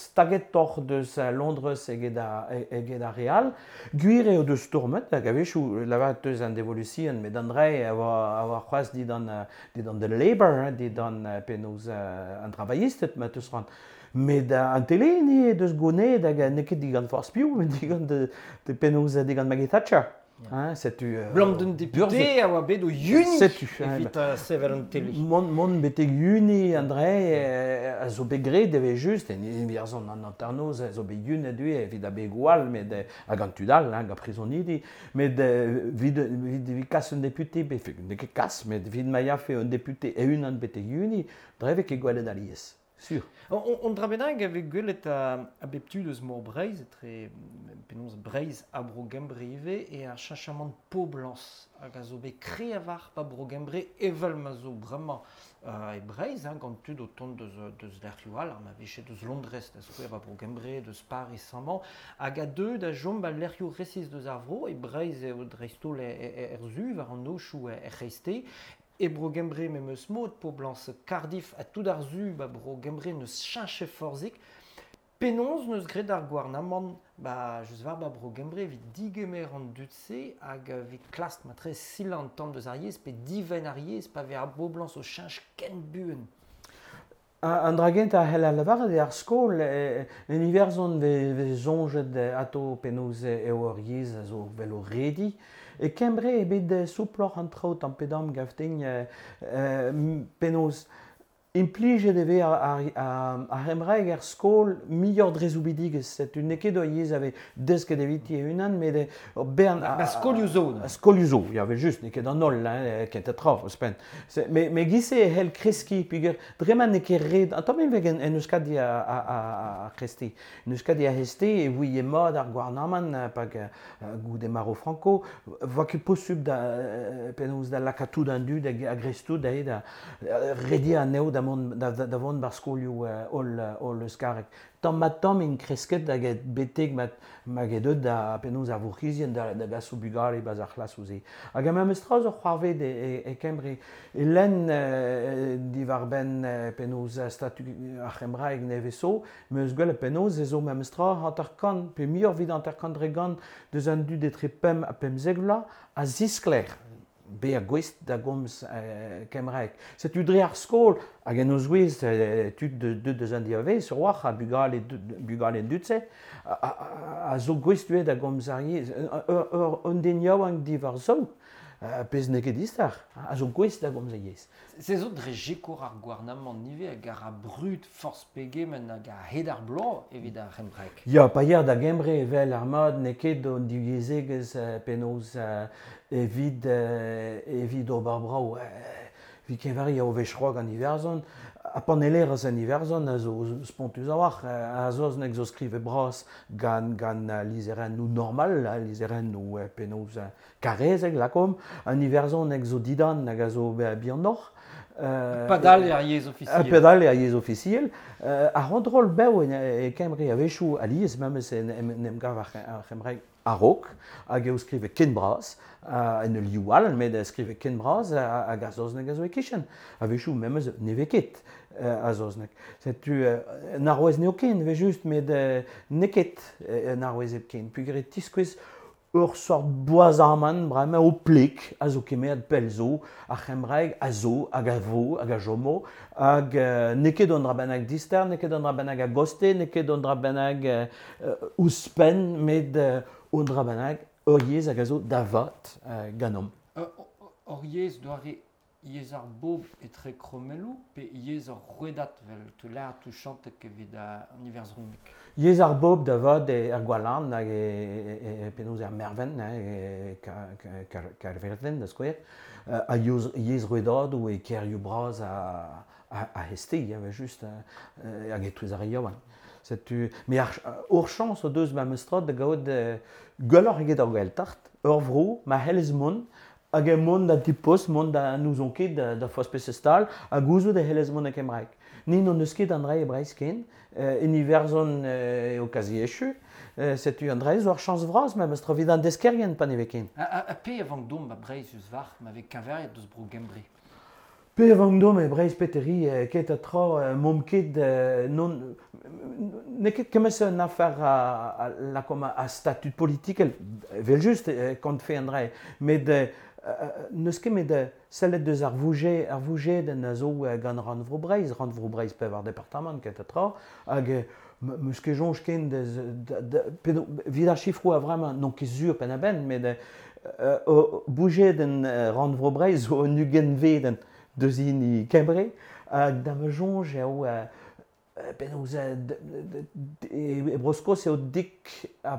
staget torr deus Londres eget a, eget a Real. Gwir eo deus tourmet, hag a-wechoù lavaret deus an devolution, met an dre a oa, a oa c'hoazh didan, didan de Labour, didan penaos an travaillisted ma teus ran. Met an tele ni deus gonet hag n'eo ket digant forzh piv, met digant de, de penaos digant Maggie Thatcher. Hein, setu euh, Blam d'un député a oa bet o yuni setu, evit uh, sevel an tele. Mont, mont betek yuni André a zo bet graet eve just, en Iwerzhon an hanternoz a zo bet yun a due evit a bet gwall, met hag an tud all, hag a prizonidi, met vid, vid, vid kas un député, bet n'eo ket kas, met vid ma yafe un député e unan betek yuni, dreve ket gwelet alies. Sur. On, on dra bennak ave gwelet a, a bep tu deus mor Breizh, etre penaos Breizh ha bro Gembre ivez, e ar cheñchamant poblañs hag a zo bet kre a var pa bro Gembre evel ma zo bremañ uh, e Breizh, hein, gant tud o tont deus, deus lec'hioù all, ar ma vije deus Londrez da skouer ba bro Gembre, deus Paris amañ, hag a deu da chom ba lec'hioù resis deus ar vro, e Breizh eo dreist-holl er zu, war an nochoù er c'hreiste. E bro Gembre memes mod, poblañs Cardiff ha tout ar zu ba bro Gembre neus cheñche forzhik. Penaos neus graet ar gouarnamant ba just war ba bro Gembre evit digemer an dud-se hag evit klask matre silañ an tamm deus ar yezh pe divenn ar yezh pa vez ar boblañs o cheñch ken buan. An dra gentañ a c'hell a lavaret eo ar skol, en Iwerzhon vez soñjet ato penaos eo ur yezh a zo vel o redi. E Kembre eo bet souploc'h an traoù tamm pe damm gavtegn penaos implijet e vez ar, ar, ar c'hembraeg er skol muioc'h dre zoubidigezh. Setu n'eo ket ur yezh a vez desket eviti e-unan, met ur bern... Ba skolioù zo. Skolioù zo, ya vel just, n'eo ket an holl, hein, kentañ tra, ouzhpenn. Me, me giz-se e c'hell kreskiñ, peogwir dre ma n'eo ket ret... An tamm vez en Euskadi a, a, a, a kresti. En Euskadi a heste e voe mat ar gouarnamant, pag goude maro Franco, voa ket posubl da, penaos da lakaat tout an dud hag a grestout da da rediañ anezho da mont da, da vont bar skolioù holl holl euskarek. Tamm ma tamm int kresket hag betek ma, ma get da penaos ar vourc'hizien da, da gas o bugale baz ar c'hlasoù-se. Hag a memes tra zo c'hoarvet e, e, e Kembre. E lenn eh, diwar-benn eh, penaos statu ar c'hembraeg nevez zo, meus gwelet penaos e zo memes tra hanter-kant, pe muioc'h evit hanter-kant dre gant deus an dud etre pemp ha pemzek vloaz a ziskler bezañ gouest da gomz euh, kembraeg. Setu dre ar skol, hag en o zouez euh, tud de, de, deus an diavez, sur war, ha bugale, bugale dud-se, a, a, a zo gouest da gomz ar yezh. Ur, un den yaouank diwar zo, pezh n'eo ket dister, a zo gouest da gomz ar yezh. Se zo dre jekour ar gouarnamant ivez hag ar brud forzh pegement hag a hed ar bloaz evit ar c'hembraeg. Ya, pa yer da Gembre evel ar mat n'eo ket an divyezhegezh penaos evit, evit ober brav. Evit keñveriañ eo wech c'hoazh gant Iwerzhon, ha panellerezh an Iwerzhon a zo spontus a-walc'h, a saozneg zo skrivet bras gant, gant lizherennoù normal, lizherennoù penaos karrezek lakaomp, an iwerzhoneg zo didan hag a zo bihanoc'h. Padal eo ar yezh ofisiel. Padal eo ar yezh ofisiel. Ar c'hontrol bev e Kembre a-wechoù alies memes en em gav ar c'hembraeg a-raok, hag eo skrivet ken bras, en ul liv all, met skrivet ken bras hag ar saozneg a zo e-kichen. A-wechoù memes ne vez ket a saozneg. Setu un arouez n'eo ken, vez just, met n'eo ket un arouez hepken. Peogwir e tiskouez ur sort boazamant bremañ o pleg a zo kemeret pell zo, ar c'hembraeg a zo, hag a vo, hag a chomo, hag euh, n'eo ket an dra bennak dister, n'eo ket an dra bennak a goste, n'eo ket an dra bennak euh, ouzhpenn, met euh, an dra bennak ur yezh hag a zo da vat euh, ganeomp. Ur yezh doare yezh ar bobl etre kromelloù pe yezh ur rouedad vel te lâr touchantek evit an iwerzhoneg? Yezh ar bobl da vat er Gwalarn hag e, e, e penaos er Mervent, e Kaerverdin da skouer, a yezh rouedadoù e kêrioù bras a, a, a heste, ya, just, hag e-touez ar re yaouank. Setu, met ar, ur chañs o deus ma meus tra da gaout gwelloc'h eget ar Gaeltacht, ur vro ma c'hellez mont Hag e mont da ti-post, mont da n'ouzon ket da, da foz peseurt stal, ha gouzout e c'hellez mont e kembraeg. Ni n'hon eus ket an dra e Breizh ken, euh, en Iwerzhon euh, eo kazi echu, euh, setu an dra zo ar chañs vras memes tra evit an deskerien pa ne vez ken. Ha, ha, ha pe a vank domp ba Breizh eus war, ma vez keñveriet deus bro Gembre? Pe a vank domp e Breizh peteri, ket a tra, momp ket non... N'eo ket kement un afer a, a, lakaomp a statud politikel, evel-just, kont fe an dra, met n'eus ket met sellet deus ar vouge, ar vougedenn a zo gant Rannvro Breizh, Rannvro Breizh pevar departamant ket a tra, hag meus ket soñj ken deus, evit ar chifroù a vremañ n'on ket sur penn-a-benn, met uh, bougedenn Rannvro Breizh zo un ugentvedenn deus hini Kembre, hag da ma soñj eo penaos e Bro-Skos eo dik ha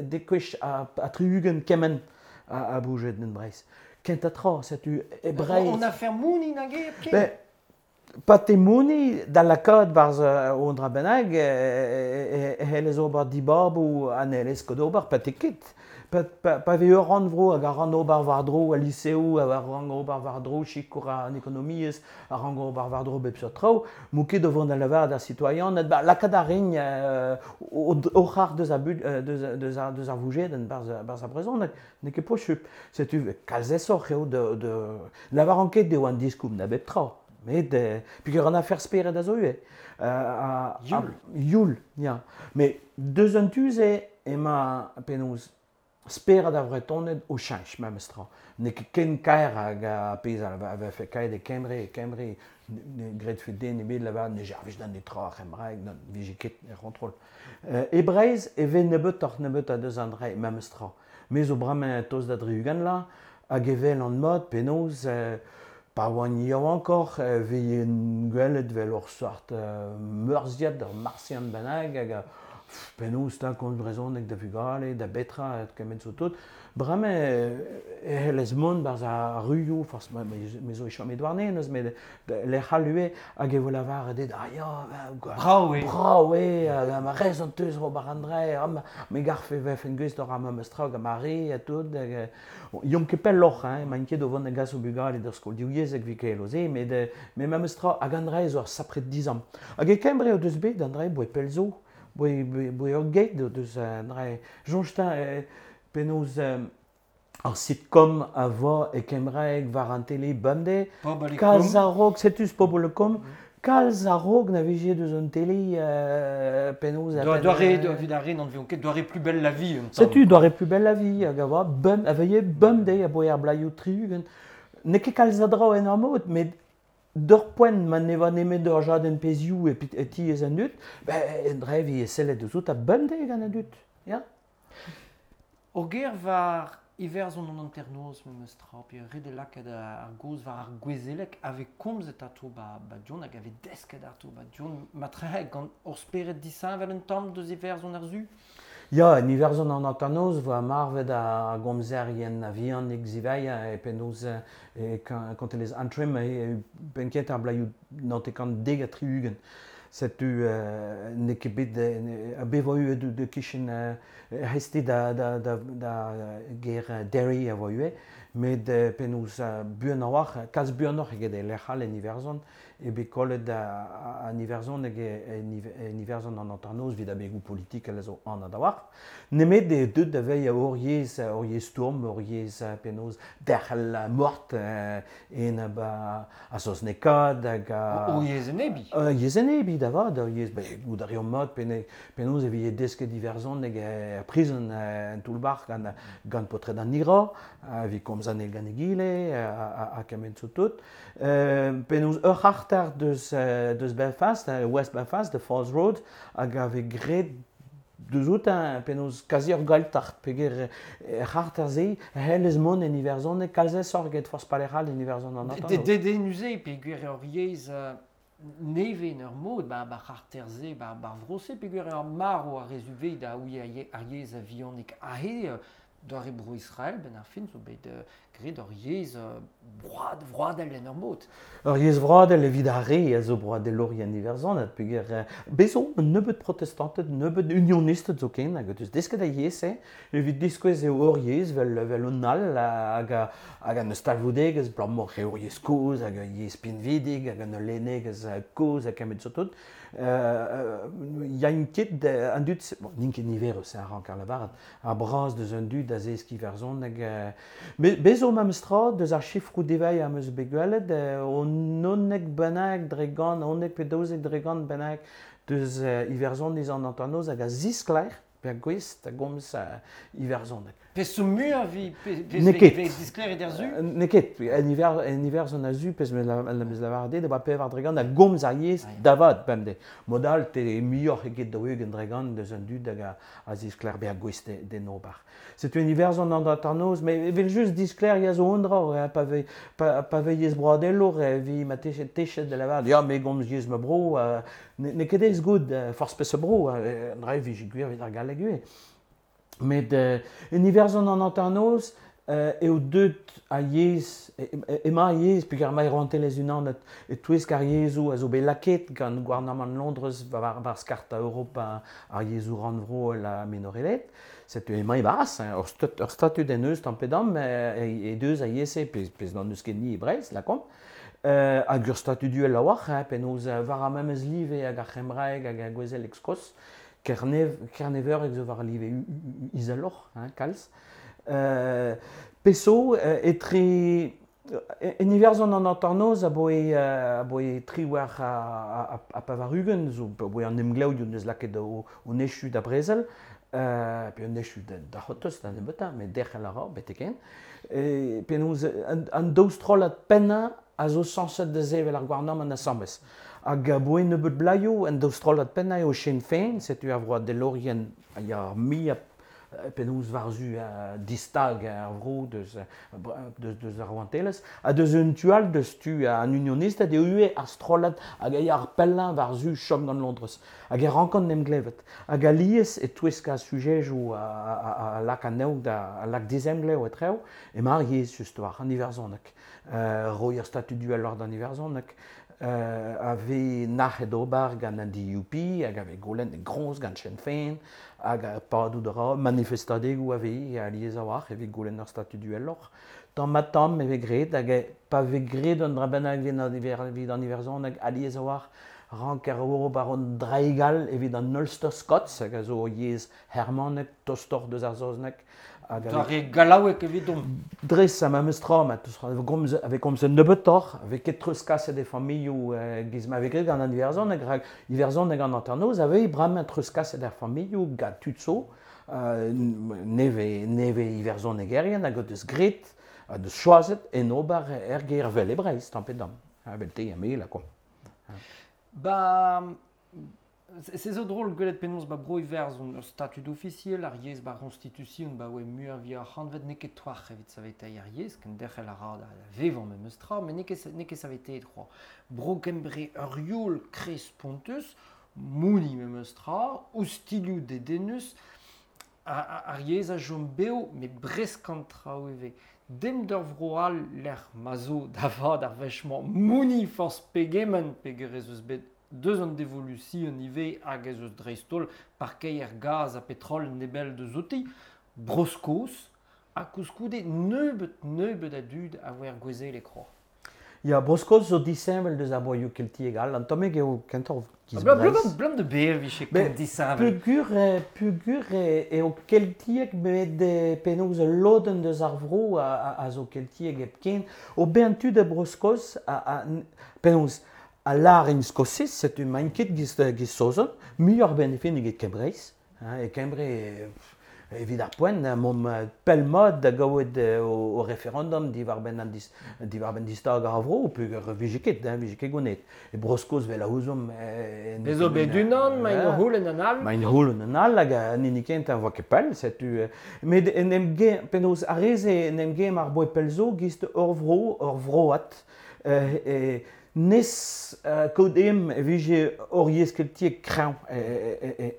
dek gwech ha tri-ugent kement a, a bougedenn Breizh. Kent a tra, setu e Breizh... On a fer mouni nag e ken? Ben, pa te mouni da lakaat barzh an dra bennak e c'hellez ober dibaboù ha n'hellez ket ober, pa te ket. Pa, pa, pa vez ur rannvro hag a ran ober war-dro al liseoù, hag a ran ober war-dro sikour an ekonomiezh, a ran ober war-dro bep seurt traoù, m'o ket o vont da lavaret d'ar sitoaianed, ba, lakaat a rin euh, o, o c'har deus a bud, deus, deus, a, deus ar vougedenn barzh, barzh ar brezhoneg, n'eo ket posupl. Setu kalz aesoc'h eo de, de... Lavaran ket eo an diskoulm da bep tra. Met, euh, peogwir an afer spered a zo ivez. Euh, Youl. Youl, ya. Met deus an tu-se emañ penaos spered ar Vretoned o cheñch memes tra. N'eo ket ken kaer hag a pezh a vefe kaet e Kembre, e Kembre ne gredfe den ebet lavaret ne servij da netra ar c'hembraeg, ne vije ket er c'hontrol. Euh, e Breizh e vez nebeutoc'h nebeutañ deus an dra memes tra. Me zo bremañ tost da dri-ugent la, hag evel an mod penaos euh, pa oan yaouankoc'h e vez gwelet vel ur sort euh, meurziad, ur martian bennak hag a penaos ta komz brezhoneg da vugale, da betra, kement zo tout. Bremañ e c'hellez mont barzh ar ruioù, forzh me zo e chom e Douarnenez, met lec'h all ivez, hag e vo lavaret dit, ah ya, Brav eo. Brav eo, hag ma rezon teus ober an dra, me garfe vefen gwez d'or ar memes tra gant ma re ha tout. Hag, yomp ket pelloc'h, hein, emaint ket o vont da gas o bugale d'ur skol divyezhek evit ket se, met, met memes tra, hag an dra zo ur sapre dizamm. Hag e Kembre o deus bet, an dra boe pell zo. Boe, boe, boe ur geit deus an dra. Soñj ta penaos ar sitcom a vo e kembraeg war an tele bemdez. Kalz a-raok, setu pobl e kom, kalz a-raok na vije deus an tele euh, penaos... Doare, evit ar re n'an veont ket, doare plus belle la vie. Setu, doare plus belle la vie, hag a voa bem, a veie bemdez a boe ar blaioù tri-ugent. N'eo ket kalz a dra en ur mod, met d'ur poent ma ne va nemet d'ur jadenn pezhioù e, e tiez an dud, ben, en dra vi e sellet deus out a bemdez gant an dud. Ya. Ur ger war Iwerzhon an hanternoz memes tra, pe ret e lakaat ar gaoz war ar gouezeleg a vez komzet atao ba, ba Dion hag a vez desket atao ba Dion, matrehe gant ur spered disheñvel un tamm deus Iwerzhon ar su? Ya, en Iwerzhon an hanternoz voa marvet a gomzerien a vihan egziveia e penaos e kontelezh Antrim e penn kentañ ar blaioù naontek dek ha tri-ugent. Setu euh, n'eo ket bet a bet vo eo de kichen reste da, da, da, da ger Derry a vo eo, met penaos buan a-walc'h, kalz buanoc'h eget e lec'h all en Iwerzhon, e bet kollet an Iwerzhon hag en Iwerzhon an hanternoz evit abegoù politikel a zo anat a-walc'h. Nemet e deut da veilh ur yezh, ur yezh stourm, ur yezh penaos derc'hel mort en ba a saoznekaat hag a... Ur yezh enebi. Ur yezh enebi da vat, ur yezh, ben, goût a reomp mat penaos e vije desket Iwerzhoneg er prizon en toull-bac'h gant, gant paotred an I R A, evit komz an eil gant egile, ha kement zo tout. Penaos ur c'harter deus, deus Belfast, West Belfast, de Falls Road, hag a vez graet deus out penaos kazi ur Gaeltacht, peogwir er c'harter-se, c'hellez mont en Iwerzhoneg, kalz aesoc'h eget forzh palec'h all en Iwerzhon an hanternoz. Dedennus eo, peogwir ur yezh nevez en ur mod, ba, ba c'harter-se, ba, ba vro-se, peogwir ur marv a rezuve da ouie ar yezh a vihanik ahe, Doare bro Israel, ben ar fin, zo bet uh, graet ur yezh uh, broad, vroadel en ur mod. Ur yezh vroadel evit ar re a zo broadelourien iwerzhonat, peogwir uh, bez zo un nebeud protestanted, un nebeud unionisted zo ken, hag deus desket a yezh, eh, evit diskouez eo ur yezh vel, vel un all, hag, hag an eus talvoudegezh, blammour eo ur yezh kozh, hag ur yezh pinvidik, hag an ul lennegezh kozh hag kemet zo tout. Euh, ya ket an dud, bon, n'int ket niverus, a rank ar lavaret, ar braz deus an dud a zesk iwerzhoneg. Euh, bez zo memes tra deus ar chifroù devailh am eus bet gwelet, euh, o nonnek bennak dre gant, onnek pe daouzek dre gant bennak deus euh, iwerzhoniz an hanternoz hag a ziskler pe a gouest a gomz uh, iwerzhoneg. Pezh zo muiañ vi pe diskler e der zu? N'eo ket, en iver, en iwerzhon a zu, pezh me la lavaret da ba pevar dre gant a gomz ar yezh da vat bemdez. Modal te muioc'h eget daou-ugent dre gant deus an dud hag a, a ziskler be a gouest d'en ober. Setu en iwerzhon an hanternoz, met evel just diskler ya zo un dra, pa ve, pa, pa ve yezh broadelour, vi ma techet techet da lavaret, ya me gomz yezh ma bro, uh, n'eo ket aes goût, forzh peseurt bro, an dra vije gwir evit ar galleg ivez. Met euh, en iwerzhon an hanternoz euh, eo deut a yezh, ema a yezh, peogwir emañ rouantelezh unanet e-touesk ar yezhoù a zo bet lakaet gant gouarnamant Londrez war, war skarta Europa ar yezhoù rannvroel ha minorelet. Setu emañ e-barzh, hein, ur, stat, ur statud en eus tamm pe damm e, e deus a yezh-se, pezh, pezh n'an eus ket ni e Breizh, lakaomp. Euh, hag ur statud uhel a-walc'h, hein, penaos war ar memes live hag ar c'hembraeg hag ar gouezeleg Skos, Kernev, Kerneveureg zo war live izeloc'h, hein, kalz. Euh, peso, euh, etre en iwerzhon an hanternoz aboe, euh, aboe triwec'h a, a, a pevar-ugent, zo aboe an emglev deus lakaet o, o nechu da brezel, euh, pe un echu da, da c'hortoz da nebeutañ, met derc'hel a ra, betek-hen. E, penaos an, an daou strollad pennañ a zo sañset da sevel ar gouarnamant asambles. Hag aboe nebeud blaioù, an daou strollad pennañ eo Sinn Féin, setu ar vroadelourien a ya ar muiañ penaos war-zu uh, distag ar vro deus, deus, deus ar rouantelezh, ha deus un tu all deus tu an unionisted eo ivez ar strollad hag a ya ar pellañ war-zu chom gant Londrez. Hag e rankont en em glevet. Hag alies e-touesk ar sujejoù a, a, a, a lak anezho da a lak dizemglev etrev, emañ ar yezh just war an iwerzhoneg. Euh, roiñ ar statud uheloc'h d'an iwerzhoneg. Euh, a vez nac'het ober gant an D U P, hag a vez goulenn groñs gant Sinn Féin, hag a padout a ra manifestadegoù a vez alies a-walc'h evit goulenn ar statud uheloc'h. Tamm ha tamm e vez graet, hag pa vez graet un dra bennak evit an iwerzhoneg alies a-walc'h rank ar ober an draig all evit an Ulster Scots, hag a zo yezh hermanek, tostoc'h deus ar saozneg. Hag Doare re gallaoueg evidomp. Dres a memes tra, ma gomz, a vez komzet nebeutoc'h, a vez ket treuzkaset e familhoù euh, giz ma vez graet gant an iwerzhoneg, rak iwerzhoneg an hanternoz a vez bremañ treuzkaset er familhoù gant tud zo, euh, neve, neve iwerzhonegerien hag o deus graet, a deus choazet en ober er gêr vel e Breizh, tamm pe damm. Ha vel te ha me, la kwa. Ba, se zo drol gwelet penaos ba bro Iwerzhon ur statud ofisiel, ar yezh ba constitution ba oe muiañ vi ar c'hantved n'eo ket toac'h evit saveteiñ ar yezh, ken derc'hel a ra da vevañ memes tra, met n'eo ket n'eo ket saveteet c'hoazh. Bro Gembre ur youl krez spontus, mouniñ memes tra, oustilhoù dedennus, ar yezh a chom bev, met bresk an traoù ivez. Dem d'ur vro all lec'h ma zo da vat ar wech-mañ mouniñ forzh pegement peogwir ez eus bet deus an devolusion ivez hag ez eus dreist-holl parkeier gaz ha petrol nebell deus outi, Bro-Skos, ha koulskoude nebeut nebeut a dud a voe er gouezeleg c'hoazh. Ya, Bro-Skos zo disheñvel deus ar broioù keltiek all, an tammig eo kentoc'h giz Blam, Breizh. blam de bev vije ken disheñvel. Peogwir, peogwir eo keltiek met penaos ul lodenn deus ar vro a, a, a zo keltiek hepken. O bezañ tud a Bro-Skos, a, a, penaos a lâr en Skosiz, setu maint ket giz, giz Saozon, muioc'h benefin eget Kembreiz. Hein, e Kembre, evit ar poent, mom pell-mat da gaouet o, o referendum diwar-benn an dis, diwar-benn distag ar vro, peogwir vije ket, hein, vije ket gonet. E Bro-Skos vel a ouzomp... Ez zo bet unan, ma int c'houlenn an all. Ma int c'houlenn an all, hag an hini kentañ a voa ket pell, setu... Met en em gem, penaos ar re-se en em gem ar boe pell zo giz ur vro, ur vroad, euh, e, nes uh, kaout em e vije ur yezh keltiek kreñv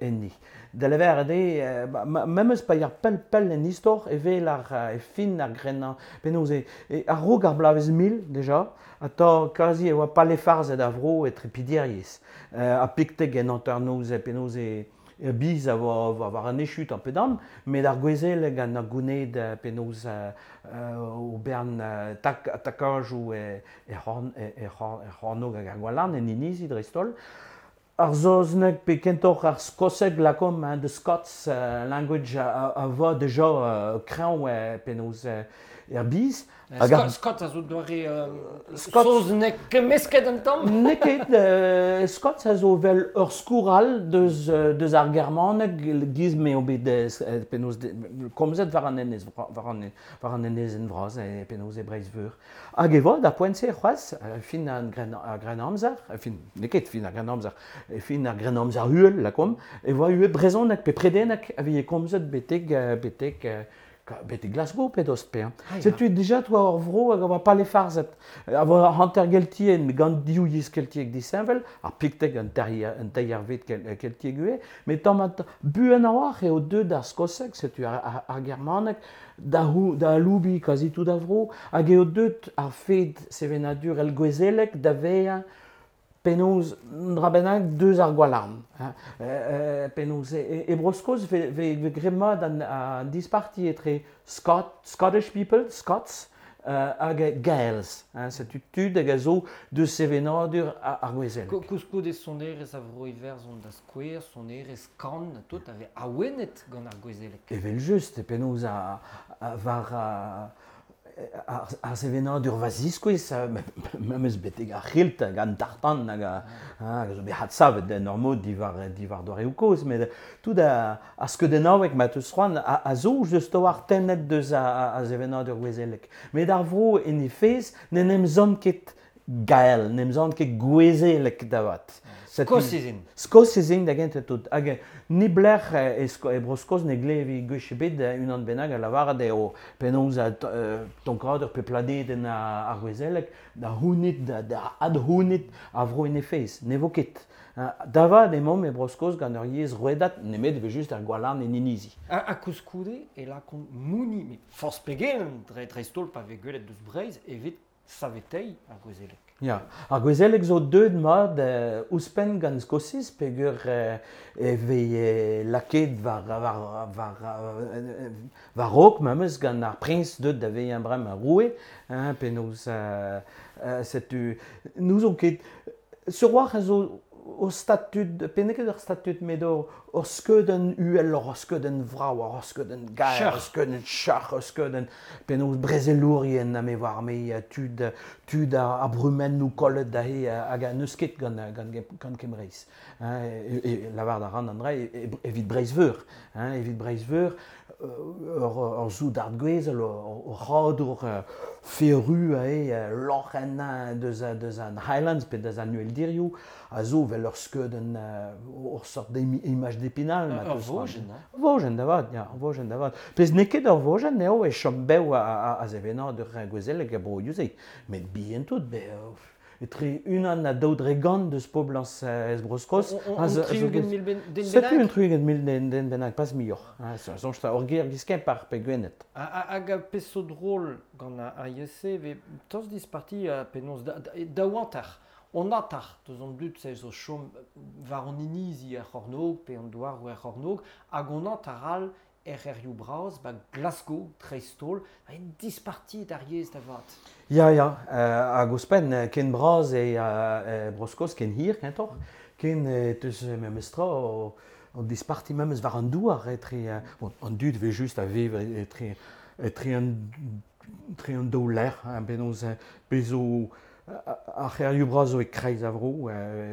enni. Da lever eo, memes pa ar pell pell en istor evel ar e fin ar grennañ. Penaos e, e a-raok ar bloavezh mil, deja, a ta kazi e oa palefarzhet a vro e trepideriezh. Euh, a pikteg en hanternoz e penaos e, e biz a oa war an echu tamm pe damm, met ar gouezeleg an ar gouned penaos euh, o bern tak, takajoù e, e, c'horn, e, e, e c'hornog hag ar gwalarn en inizi dreist-holl. Ar saozneg pe kentoc'h ar skoseg lakom, hein, the Scots uh, language a, a va deja uh, kreñv uh, penaos uh, er biz. Hag ar... Scots a zo doare uh, saozneg kemmesket an tamm? N'eo ket, uh, Scots a zo vel ur skourr all deus, deus ar germaneg giz m'eo bet uh, penaos komzet war an enez, war an, war an enezenn vras e penaos e Breizh-Veur. Hag e vo da poent-se c'hoazh, fin an grenn, ar Grennamzer, fin, n'eo ket fin ar Grennamzer, e fin ar Grennamzer uhel, lakom, e voa ue brezhoneg pe predeneg a vije komzet betek, betek, betek Glasgow pe dost pe. Ah, Setu deja toa ur vro hag a oa palefarzhet. A oa hanter geltien, met gant div yezh keltiek disheñvel, ar pikteg an teir, an teirvet keltiek ivez, met tamm buan a-walc'h eo deuet ar skoseg, setu ar, ar, ar germaneg, da, da aloubiñ kazi tout ar vro, hag eo deuet ar fed sevenadur el gouezelek da vezañ penaos dra bennak deus ar gwalarn. Euh, penaos e, e Bro-Skos ve, ve, ve graet mat an, an disparti etre Scot, Scottish people, Scots, uh, hag Gaels. Hein, setu tud hag a zo deus sevenadur ar gouezelek. Koulskoude sonerezh a vro Iwerzhon da skouer, sonerezh kan, tout a vez awenet gant ar gouezelek. Evel just, penaos a, a, war... A, ar, ar sevenadur va ziskouez, memes betek ar c'hilt hag an tartan hag a, hag a zo bet hadsavet en ur mod diwar, diwar doareoù kozh, met tout a, a skeudennaoueg ma teus c'hoant a, a zo just oar tennet deus a, a, a sevenadur gouezelek. Met ar vro en he fezh n'en em zont ket gael, n'em zont ket gouezelek da vat. Skosiz int. Skosiz int da gentañ tout. Hag niblec'h e, e Bro-Skos ne glevi gwech ebet unan bennak a lavaret eo penaos a tonkadur pe planedenn ar gouezelek da c'hounit, da, da adc'hounit a vro en he fezh. Ne vo ket. Da vat emaomp e Bro-Skos gant ur yezh rouedat nemet ve just ar gwalarn en inizi. Ha, ha koulskoude e lakont mouni, met forzh pegen dre dreist-holl pa vez gwelet deus Breizh evit saveteiñ ar gouezelek. Ya, ar gouezelek zo deuet mat euh, ouzhpenn gant Skosiz peogwir euh, e vez euh, lakaet war, war, war, euh, war raok memes gant ar priñs deuet da vezañ bremañ roue, hein, penaos euh, euh, setu n'ouzon ket sur war a zo o statud, pe n'eo ket ur statud, met ur, ur skeudenn uhel, ur skeudenn vrav, ur skeudenn gaer, ur skeudenn char, ur skeudenn penaos brezelourien ha me war me tud, tud a, a brumennoù kollet da he hag a n'eus ket gant, gant, gant Kemreiz. Hein, e, e, lavar da ran an dra, evit Breizh-Veur. Hein, evit Breizh-Veur, ur, ur soudard gouezel, ur, ur c'hadour feru ae loc'henn deus, deus an Highlands pe deus an Uheldirioù, a zo vel ur skeudenn ur sort d'image d'Épinal. Ur vojenn, hein? Vojenn da vat, ya, ur vojenn da vat. Pezh n'eo ket ur vojenn eo e chom bev a, a, a sevenadur gouezelek a broioù-se. Met bihan tout, be, etre unan ha daou dre gant deus poblañs ez Bro-Skos. Un tri-ugent mil den bennak? Setu un tri-ugent mil den, den bennak, pas muioc'h. Soñj ta ur ger giz Kemper pe Gwened. Hag a pezh zo drol gant ar yezh-se, ve tost disparti penaos daou hanter. On atar deus an dud se zo chom war an inizi er c'hornôg pe an douaroù er c'hornôg hag on atar all er c'hêrioù bras ba Glasgow dreist-holl a disparti d'ar yezh da vat. Ya, ya, euh, hag ouzhpenn ken bras e euh, Bro-Skos ken hir kentoc'h, ken teus memes tra o, o disparti memes war an douar etre, bon, an dud vez just a vev etre, etre an, etre an daou lec'h, hein, penaos bezo ar c'hêrioù bras zo e kreiz a vro,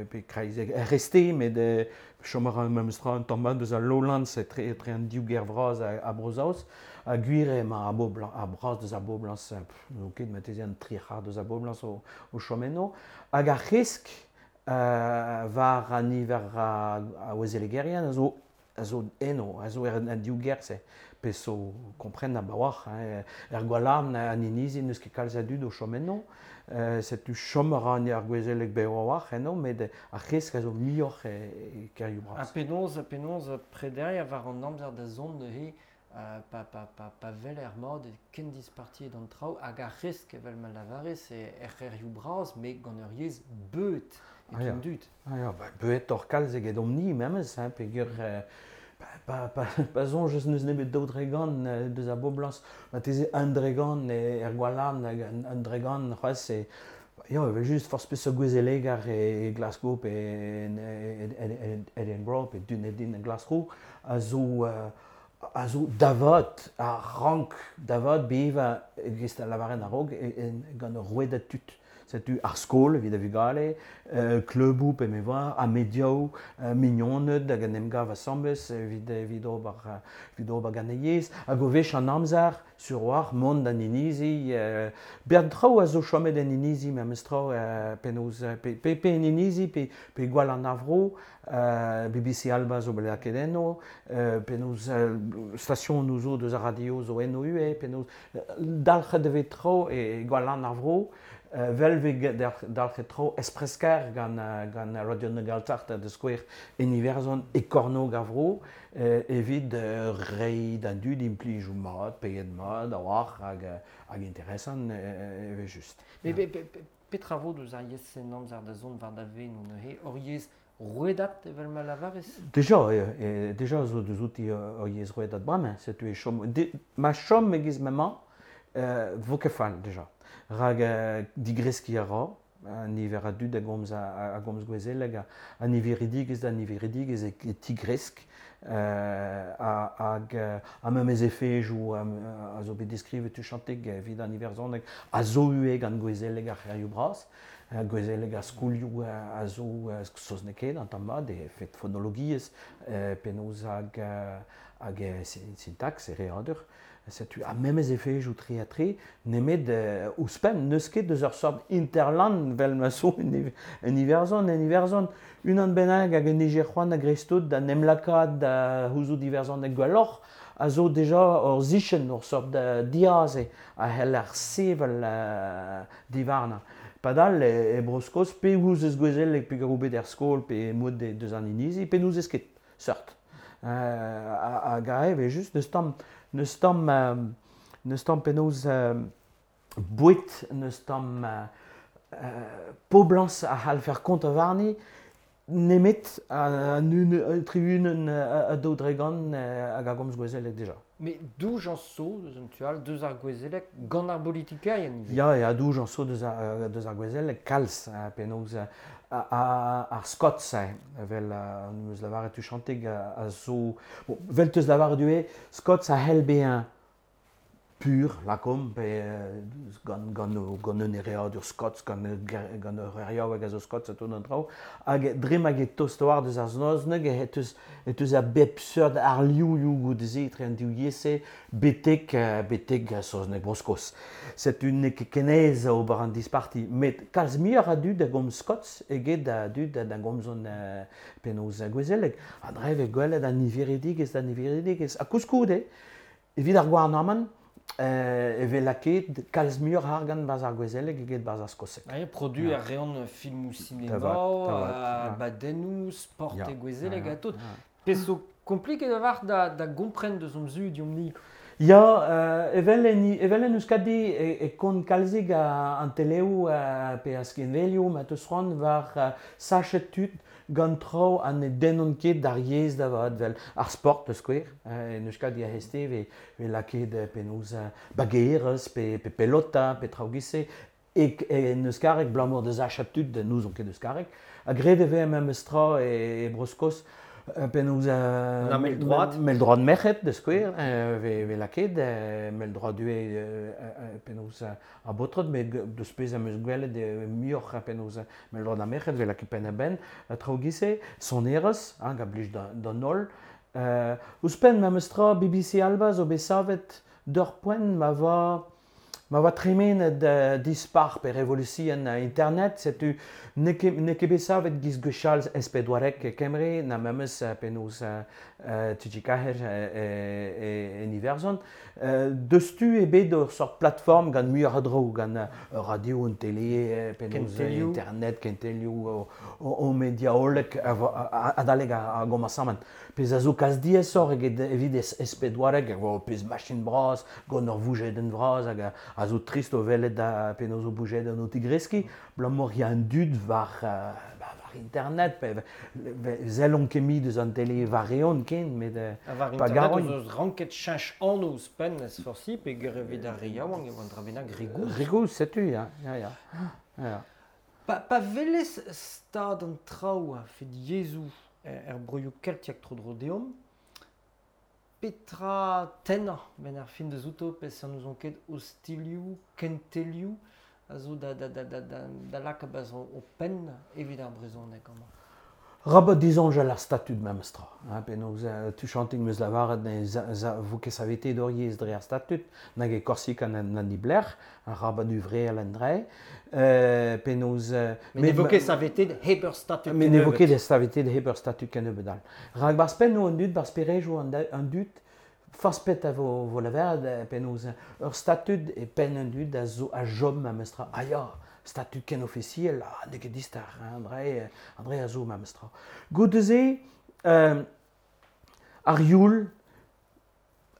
pe kreiz e reste, met chom a ra memes tra un tamm mat deus al Lowlands etre, etre an div gêr vras a, a Bro-Saoz, ha gwir eo emañ ar bobl, ar bras deus ar boblañs, n'eo ket marteze an tri c'hard deus ar boblañs o, o chom eno, hag ar c'hresk euh, war an niver a, a ouezelegerien a zo a zo eno, a zo er an div gêr-se, pe so kompren a-baoar, hein, er Gwalarn an inizi n'eus ket kalz a dud o chom eno, euh, setu chom a ra an ar gouezeleg bev a-walc'h eno, met ar c'hresk a zo muioc'h e, e kêrioù Ha bras. penaos, penaos prederiañ war an amzer da zont neuze, euh, pa, pa, pa, pa wel er mat e ken dispartiet an traoù hag ar c'hresk evel ma lavarez e er c'hêrioù bras, met gant ur yezh beuet e Ah ya. an dud. Ah ya, ba, beuet oc'h kalz eget omp-ni memes, hein, peogwir euh, pa, pa, pa, pa soñj eus n'eus nemet daou dregant euh, deus ar boblañs, marteze un dregant e, er Gwalarn hag un, un dregant c'hoazh e ya, evel just forzh peseurt gouezelegar e, e Glasgow pe en, en, en, en Edinburgh pe Dunedin e Glasgow a zo euh, a zo davat, a rank davat bevañ e-giz a lavaren a-raok e, e, gant ur rouedad tud. Setu ar skol evit ar vugale, euh, kleuboù pe me oar, ha mediaoù, euh, mignoned hag en em gav asambles evit, evit ober, euh, evit ober gant e yezh. Hag o wech an amzer, sur war, mont d'an inizi, euh, bern traoù a zo chomet en inizi memes traoù euh, penaos, pe, pe, pe en inizi, pe, pe gwall an avro, euh, B B C Alba zo bet lakaet eno, euh, penaos euh, station nou zo deus ar radio zo eno ue, penaos dalc'het e vez traoù e gwall an avro, Euh, vel vez dalc'het tro espresker gant, gant Radio na Gaeltacht da skouer en Iwerzhon e kornôg ar vro, euh, evit euh, reiñ d'an dud implijoù mat, peiet mat, a-walc'h hag, hag interesant euh, evel just. Me be, be, be, petra vo deus ar yezh en amzer da zont war da veno neuze, ur yezh rouedat evel ma lavarez? Deja, e, e, deja zo deus outi ur yezh rouedat bremañ, setu e chom, de, ma chom e-giz m'emañ, euh, vo ket fall deja. Rag euh, digreskiñ a ra, an niver a dud a gomz a, a, a gomz gouezeleg, a, a niveridigezh da niveridigezh e, e tigresk, euh, a, hag a memes efejoù a, a zo bet deskrivet tuchanteg evit an iwerzhoneg a zo ue gant gouezeleg ar c'hêrioù bras, gouezeleg ar skolioù a zo saoznekaet an tamm mat, e fet fonologiezh, euh, penaos hag, hag syntax e readur. Setu a memes efejoù tre ha tre, nemet euh, ouzhpenn n'eus ket deus ur sort interland vel ma zo en, en Iwerzhon, en Iwerzhon, unan bennak hag un ejer c'hoant a greiztout da nem lakaat da houzout iwerzhoneg gwelloc'h, a zo deja ur zichen, ur sort da diaze a c'hell ar sevel euh, diwarnañ. Padal e, e Bro-Skos, pe ouzez gouezeleg pe garoù bet er skol, pe mod de, deus an inizi, pe n'ouzez ket, seurt. Euh, hag a eo just n'eus tamm n'eus tamm euh, n'eus tamm penaos euh, boued, n'eus tamm euh, euh, poblañs a c'hall fer kont a warni, nemet an un tribunen a daou dregant hag a gomz gouezeleg deja. Mais douj an so deus an tual, deus ar gouezeleg gant ar politikerien ivez? Ya, ya, douj an so deus ar, deus ar gouezeleg kalz, penaos ar Scots, vel an eus lavaret tuchanteg a zo... Bon, vel teus lavaret ue, Scots a c'hell bezañ pur, lakom, pe gant, gant, gant un ereadur Scots, gant, gant ur eriaoueg a zo Scots a tout an traoù, hag dre ma get tost war deus ar saozneg e teus, e teus a bep seurt ar liouioù goude-se etre an div yezh-se betek, betek saozneg Bro-Skos. Setu n'eo ket ken aes ober an disparti, met kalz muioc'h a dud a gomz Scots eget a dud da gomzont uh, penaos gouezeleg. Ha dre vez gwelet an niveridigezh da niveridigezh. Ha koulskoude, evit ar gouarnamant, Euh, e vez lakaet kalz muioc'h argant barzh ar gouezeleg eget barzh ar skoseg. Ah, produ ar reont filmoù sinema, abadennoù, sport e gouezeleg ha tout. Pezh zo kompliket a-walc'h da, da gompren deus hon zu deomp-ni. Ya, euh, evel en, evel en Euskadi e, e kont kalzig a, an teleoù uh, pe a skinvelioù ma teus c'hoant war uh, sachet tud gant traoù ha ne dennont ket d'ar yezh da vat vel ar sport da skouer. Euh, en Euskadi a heste ve, ve lakaet penaos bagerez pe, pe pelota pe traoù giz-se e, en euskareg blamour deus achat tud n'ouzon ket euskareg. Ha graet e vez memes tra e, e Bro-Skos penaos euh, mell-droad mell-droad merc'hed da skouer, euh, ve, ve lakaet, euh, mell-droad ue euh, penaos a baotred, met deus pezh am eus gwelet muioc'h penaos mell-droad ar merc'hed, ve lakaet penn-a-benn, traoù giz-se, sonerezh, hein, a blij d'an holl. Euh, ouzhpenn memes tra B B C Alba zo bet savet d'ur poent ma va Ma oa tremenet uh, dispar pe revolution uh, internet, setu n'eo ket n'eo ket bet savet giz gwechall S P douarek e Kembre, na memes uh, penaos uh, uh, Tijikaher uh, en Iwerzhon. Uh, deus tu eo bet ur sort plateforme gant muioc'h a draoù, gant uh, radio, an tele, penaos Kentelioù. internet, kentelioù, o, o, o media hollek adalek ar ar gomañsamant. Pezh a zo kalz diaesoc'h eget evit S P douarek, hag eo pezh machin bras, gant ur voujedenn vras hag a, a zo trist o welet da penaos o boujedenn o tigreskiñ, abalamour ya an dud war, uh, ba, war internet, pe zellont ket mui deus an tele war eon ken, met uh, Ha war pa internet garoint. eus eus ranket cheñch anv ouzhpenn ez forsi, pe evit ar re yaouank e oa an dra bennak re gozh. Re gozh, setu, ya, ya, ya. Ya. Pa, pa welez stad an traoù a fed yezhoù er broioù keltiek tro-dro deomp, petra tennañ ben ar fin deus outo, pezh an ouzon ket ostilioù, kentelioù, a zo da, da, da, da, da, da lakaat baz o, o penn evit ar brezhoneg amañ. Rabat disoñjal ar statud memes tra. Hein, penaos uh, tuchantig meus lavaret ne za, za, vo ket savetet d'ur yezh dre ar statud, nag e Korsika na, na niblec'h, ar rabat uvreal an dre. Euh, penaos... Uh, Mais ne vo ket savetet hep ur statud Mais ne vo kennebeut. ket savetet hep ur statud kennebeut all. Rak bar spennoù an dud, bar sperejoù an, an dud, forzh pet a vo, vo lavaret, penaos ur statud e penn an dud a zo a jom memes tra. Ah ya, statud ken ofisiel, ah, n'eo ket distar, hein, André, André a zo memes tra. Goude-se, euh, ar youl,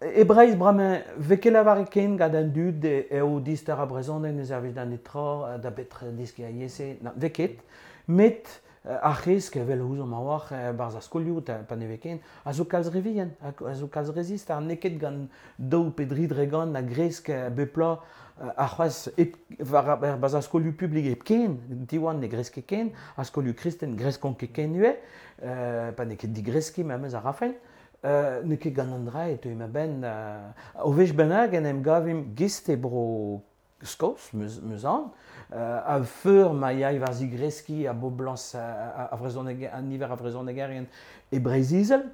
e Breizh bremañ, vez ket lavaret ken gant an dud eo distar a brezhoneg ne servij da netra, da betra diski a yezh, na, vez ket, met ar c'hesk evel ouzomp a-walc'h barzh ar skolioù pa ne vez ken, a zo kalz re vihan, a zo kalz re zist, ar n'eo ket gant daou pe dri dre gant a gresk bep bloaz ar c'hoazh hep, war ar barzh ar skolioù publik hepken, Diwan ne gresk ket ken, ar skolioù kristen greskont ket ken ivez, euh, pa n'eo ket digreskiñ memes a rafen. Euh, n'eo ket gant an dra e teu ma benn, euh, o wech bennak en em gavimp gist e bro Skos, meus, meus an, euh, a feur ma yae war zigreskiñ a boblañs a, a, a vrezhoneg, an niver a vrezhonegerien e Breizh-Izel,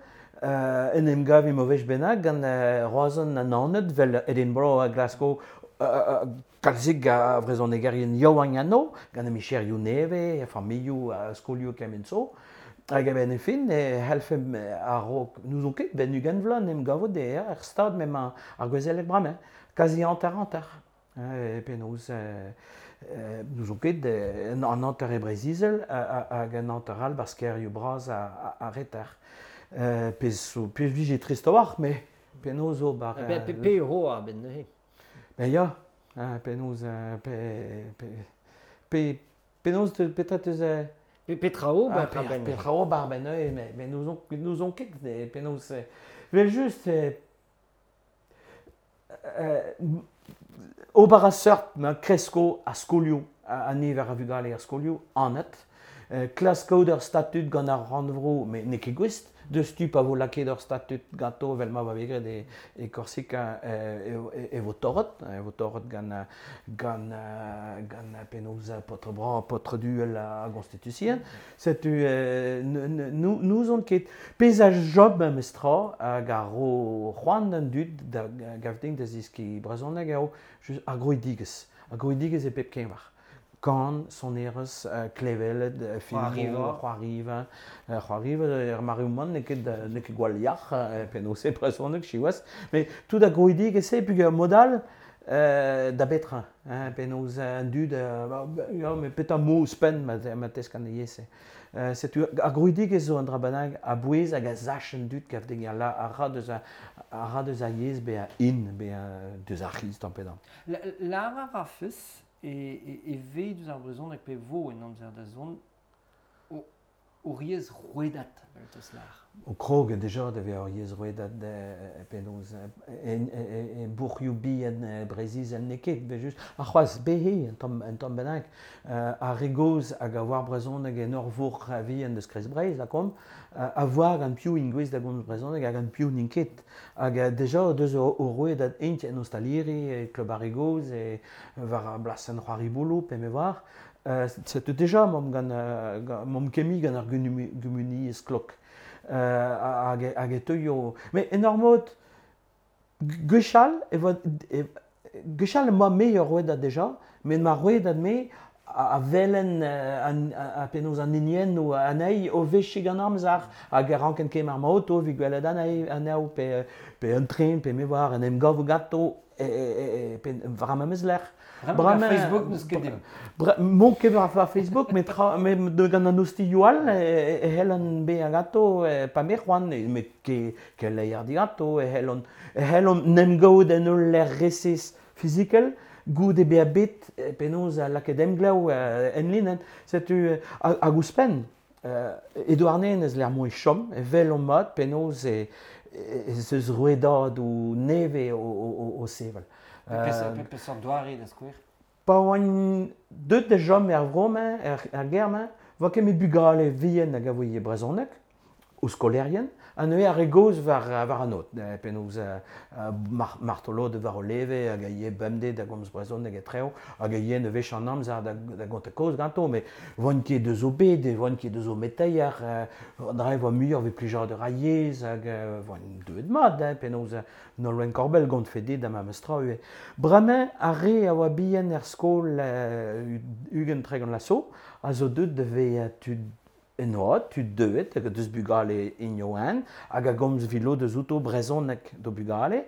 euh, en em gavimp o wech bennak gant euh, Roazhon an Naoned, vel Edinburgh ha Glasgow, euh, euh, kalzik a vrezhonegerien yaouank anno, gant micherioù nevez, familhoù, uh, skolioù kement zo. Hag a-benn e fin, e c'hellfemp a-raok n'ouzon ket, ben ugent vloaz en em gavot e er stad m'emañ ar gouezeleg bremañ, kazi hanter-hanter. E penaos, euh, euh, n'ouzon ket, an hanter e Breizh-Izel hag an hanter all barzh kêrioù bras a, a, a reter. Euh, pezh zo, pezh vije trist a-walc'h, met penaos zo bar... Pe, pe, pe eo a benn neuze. Ben ya, penaos, pe, pe, pe, penaos petra teus... Pe, petra ober ah, a benn. Petra ober a benn neuze, mais, mais n'ouzon, n'ouzon ket, penaos... Vel just, euh, euh, ober a seurt ma kresko a skolioù, a niver a vugale ar skolioù, anat, euh, klask kaout ur statud gant ar rannvro, met n'eo ket gouest, deus tu pa vo lakaet ur statud ganto vel ma va bet graet e, e Korsika e, e, e vo torret, e vo torret gant, gant, gant penaos paotr bras, paotr duel a gonstitution. Setu euh, n'ouzon ket pezh a job memes tra hag ar ro c'hoant an dud da gav din da zeskiñ brezhoneg eo just ar grouidigezh, ar grouidigezh e pep keñver. Kan, sonerezh, uh, klevelet, uh, filmoù, c'hoariva, uh, c'hoariva, er mareoù-man n'eo ket, n'eo ket gwall yac'h, uh, penaos e brezhoneg, siwazh, met tout ar grouidigezh se, peogwir mod all, euh, da betra, hein, penaos an dud, uh, ya, met petra mo ouzhpenn ma, ma tesk an yezh-se. Uh, setu ar grouidigezh zo an dra bennak a bouez hag a sach an dud gav din a, a ra deus a, a ra deus a yezh bezañ in, bezañ deus ar c'hiz tamm pe damm. Lar a rafes e, e, e vez deus ar brezhoneg pe vo en amzer da zont o, ur yezh rouedat, vel teus lar. O krog deja da vezañ ur yezh rouedat penaos e, e, e bourc'hioù bihan Breizh-Izel n'eo ket, bet just ar c'hoazh behe un tamm, un tamm bennak, uh, ar re gozh hag a oar brezhoneg en ur vourc'h vihan deus Kreiz Breizh, lakaomp, uh, a voar gant piv int gouest da gomz brezhoneg hag gant piv n'int ket. Hag uh, deja deus o, o rouedat int en ostaliri, e klub ar re gozh, e war ar blasenn c'hoari-bouloù, pe me oar. Uh, setu deja momp gant, uh, momp kemi gant ar gumuniezh klok. Uh, hag, hag e teuio... Mais en ur mod, gwechall e vo, e, Gwechall ma me ur rouedad deja, met ma rouedad me a velen a penaos an hiniennoù anezhi o vechiñ gant amzer hag a ranken kemer ma auto evit gwelet anezhi anezho pe, pe un tren pe me war en em gavo ganto e, e, e, pe war memes lec'h. Bremañ Facebook n'eus ket dimp. Mont ket war Facebook, met tra, met gant an ostilhoù all e, e c'hellan bezañ ganto pa me c'hoant, met ket keleier diganto, e c'hellont e c'hellont n'em gaout en ul lec'h resis fizikel, goude bezañ bet penaos lakaet emglev en linenn. Setu hag ouzhpenn, e Douarnenez lec'h m'o e chom, e welomp mat penaos e ez eus rouedadoù nevez o, o, o sevel. Peseurt doare da skouer? Pa oan deut da chom er vro-mañ, er, er gêr-mañ, oa ket met bugale vihan hag a voe brezhoneg, o skolaerien, ha neuze ar re gozh war, war an aod, penaos mar, martolod war o leve hag a ye bemdez da gomz brezhoneg e treo, hag a ye wech an amzer da, da gontañ kaoz ganto, met oant ket deus o bed, oant ket deus o meteier, an dra e voa muioc'h evit plijadur ar yezh, hag oant deuet mat, hein, penaos Nolwenn Korbell gant fe dit da memes tra ivez. Bremañ ar re a oa bihan er skol ugent tregont la so, a zo deuet da vezañ tud en oad, tud deuet, hag deus bugale ignoan, hag a gomz vilo deus outo brezhoneg do bugale.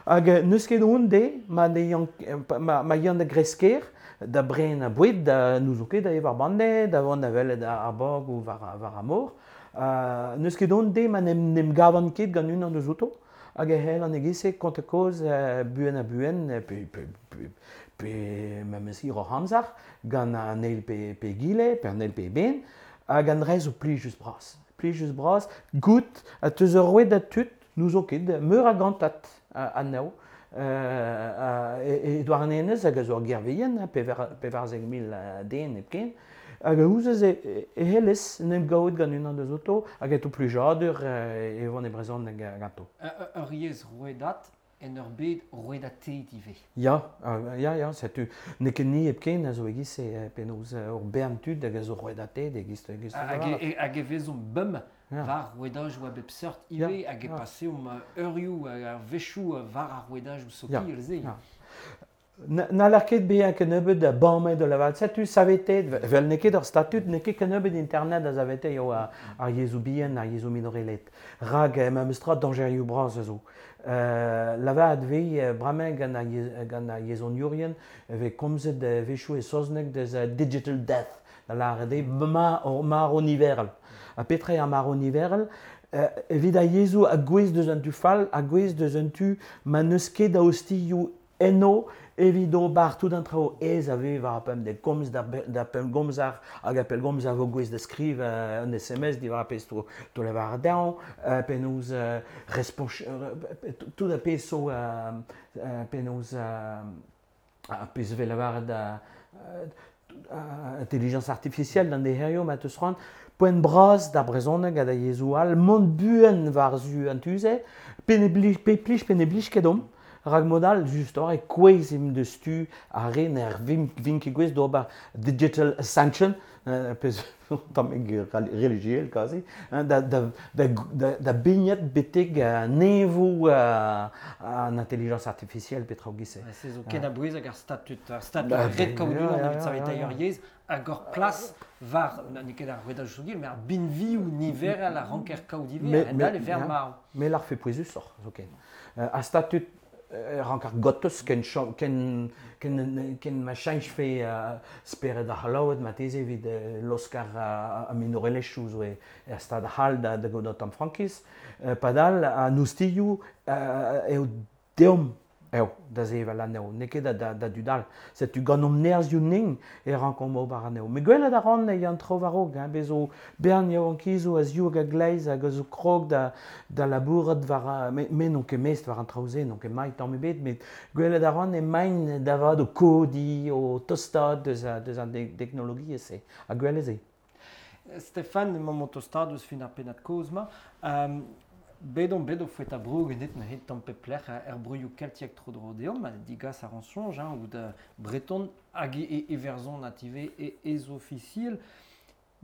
Hag n'eus ket hon de, ma, ne yan, ma, ma yan da gresker, da bren a boued, da n'ouzo ket da evar bande, da vont da welet ar bog ou war, war ar mor. Uh, n'eus ket hon de, ma n'em, n'em gavan ket gant unan deus outo, hag e c'hell an egese kont kaoz uh, buan ha buan, pe, pe, pe, pe memes hir oc'h amzer, gant an eil pe, pe gile, pe an eil pe ben, hag an dre zo plijus bras. Plijus bras, gout, a teus ur roued da tud, n'ouzo ket, meur a gantat anezho, e Douarnenez hag a zo ar gerveien, pevarzek mil den hepken, hag a ouzez e, e hellez n'em gaout gant unan deus outo, hag eto plijadur e vont e brezhoneg ganto. Ur yezh rouedat en ur bed rouedatet ivez. Ya, ya, ya, setu n'eo ket ni hepken a zo e-giz e penaos ur bern tud hag a zo rouedatet e-giz e-giz. Hag e, hag e vezomp bum war rouedajoù a bep seurt ivez, hag e paseomp eurioù hag ar wechoù war ar rouedajoù sokial se. N'haller ket bezañ kennebeut da bammet da lavaret. Setu savetet, vel n'eo ket ur statud, n'eo ket kennebeut internet a savete eo ar, ar yezhoù bihan, ar yezhoù minorelet. Rak memes tra dañjerioù bras a zo. Euh, lavaret vez bremañ gant ar, gant ar yezhoniourien vez komzet wechoù e saozneg deus digital death, da lavaret eo ma, marv niverel. Ha petra eo ar marv niverel? Evit ar yezhoù a gouez deus an tu fall, a gouez deus an tu ma n'eus ket a ostilhoù eno evit ober tout an traoù aes a vez war ar pemdez komz da, da pellgomzer hag ar pellgomzer vo gouez da skriv uh, un S M S diwar ar pezh to, to lavar dezhañ, uh, penaos uh, responch, uh, tout ar pezh zo uh, uh, penaos uh, ar pezh vez lavaret uh, uh, intelligence artificielle d'an deherioù ma teus c'hoant, poent bras da brezhoneg ha da yezhoù all, mont buan war-zu an tu-se, pe ne blij, pe plij pe ne blij ket omp. Rak modal, just e kouez im deus tu ar re n'er vin, vin ket gouez d'ober digital ascension, euh, pezh tamm religiel quasi, da, da, da, da, da bignet betek neñvoù an intelligence artificielle petra gise. Se zo ken a bouez hag ar statut, ar statut ret kaout unan evit saveteiñ ur yezh, hag ur plas war, n'eo ket ar rouedaj sokial, met ar binvioù niverel a ranker kaout ivez, a-hend-all e ver marv. Mais l'ar fe pouezusoc'h zoken. Ar statut rank ar gotus ken ken ken ken ma cheñch fe uh, spered ar c'hallaoued ma teze evit uh, l'Oscar a, a minorelezhioù zo e er stad c'hall da, da gaout an frankiz. Uh, padal an oustilhoù uh, eo deomp eo da sevel anezho, n'eo ket da, da, da dud all. Setu gant omp nerzhioù ning e rankomp ober anezho. Met gwelet a ran e an traoù war-raok, hein, bez zo bern yaouankizoù a ziv hag a gleiz hag a zo krog da, da labourat war, me, me n'on ket mest war an traoù-se, n'on ket mailh tamm ebet, met gwelet a ran emaint da vat o kodiñ, o tostaat deus, deus an teknologiezh-se, ha gwelet se. Stéphane, emañ o tostaat eus fin ar pennad kozh-mañ. Um, Bet on bet o foeta bro genet neuze tamm pep lec'h er broioù keltiek tro-dro deomp, ha digas ar an soñj, hein, ou da breton hag e, e verzon native e ez ofisiel.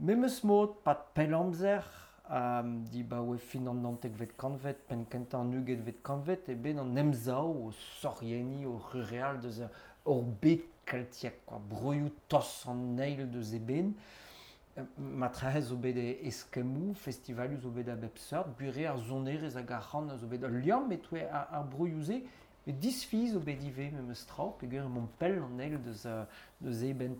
Memes mod, pat pell amzer, Um, di ba oe fin an naontekvet kantved, penn kentañ an ugentvet kantved, e bet an emsav o sorienniñ o rureal deus ur bed keltiek, quoi, broioù tos an eil deus e ben. Matrahez zo bet eskemmoù, festivalioù zo bet a bep seurt, gwir eo ar sonerezh hag ar c'han zo bet ul liamm etouez ar, ar broioù-se, met disfiz zo bet ivez memes tra, peogwir emaomp pell an eil deus, deus eben.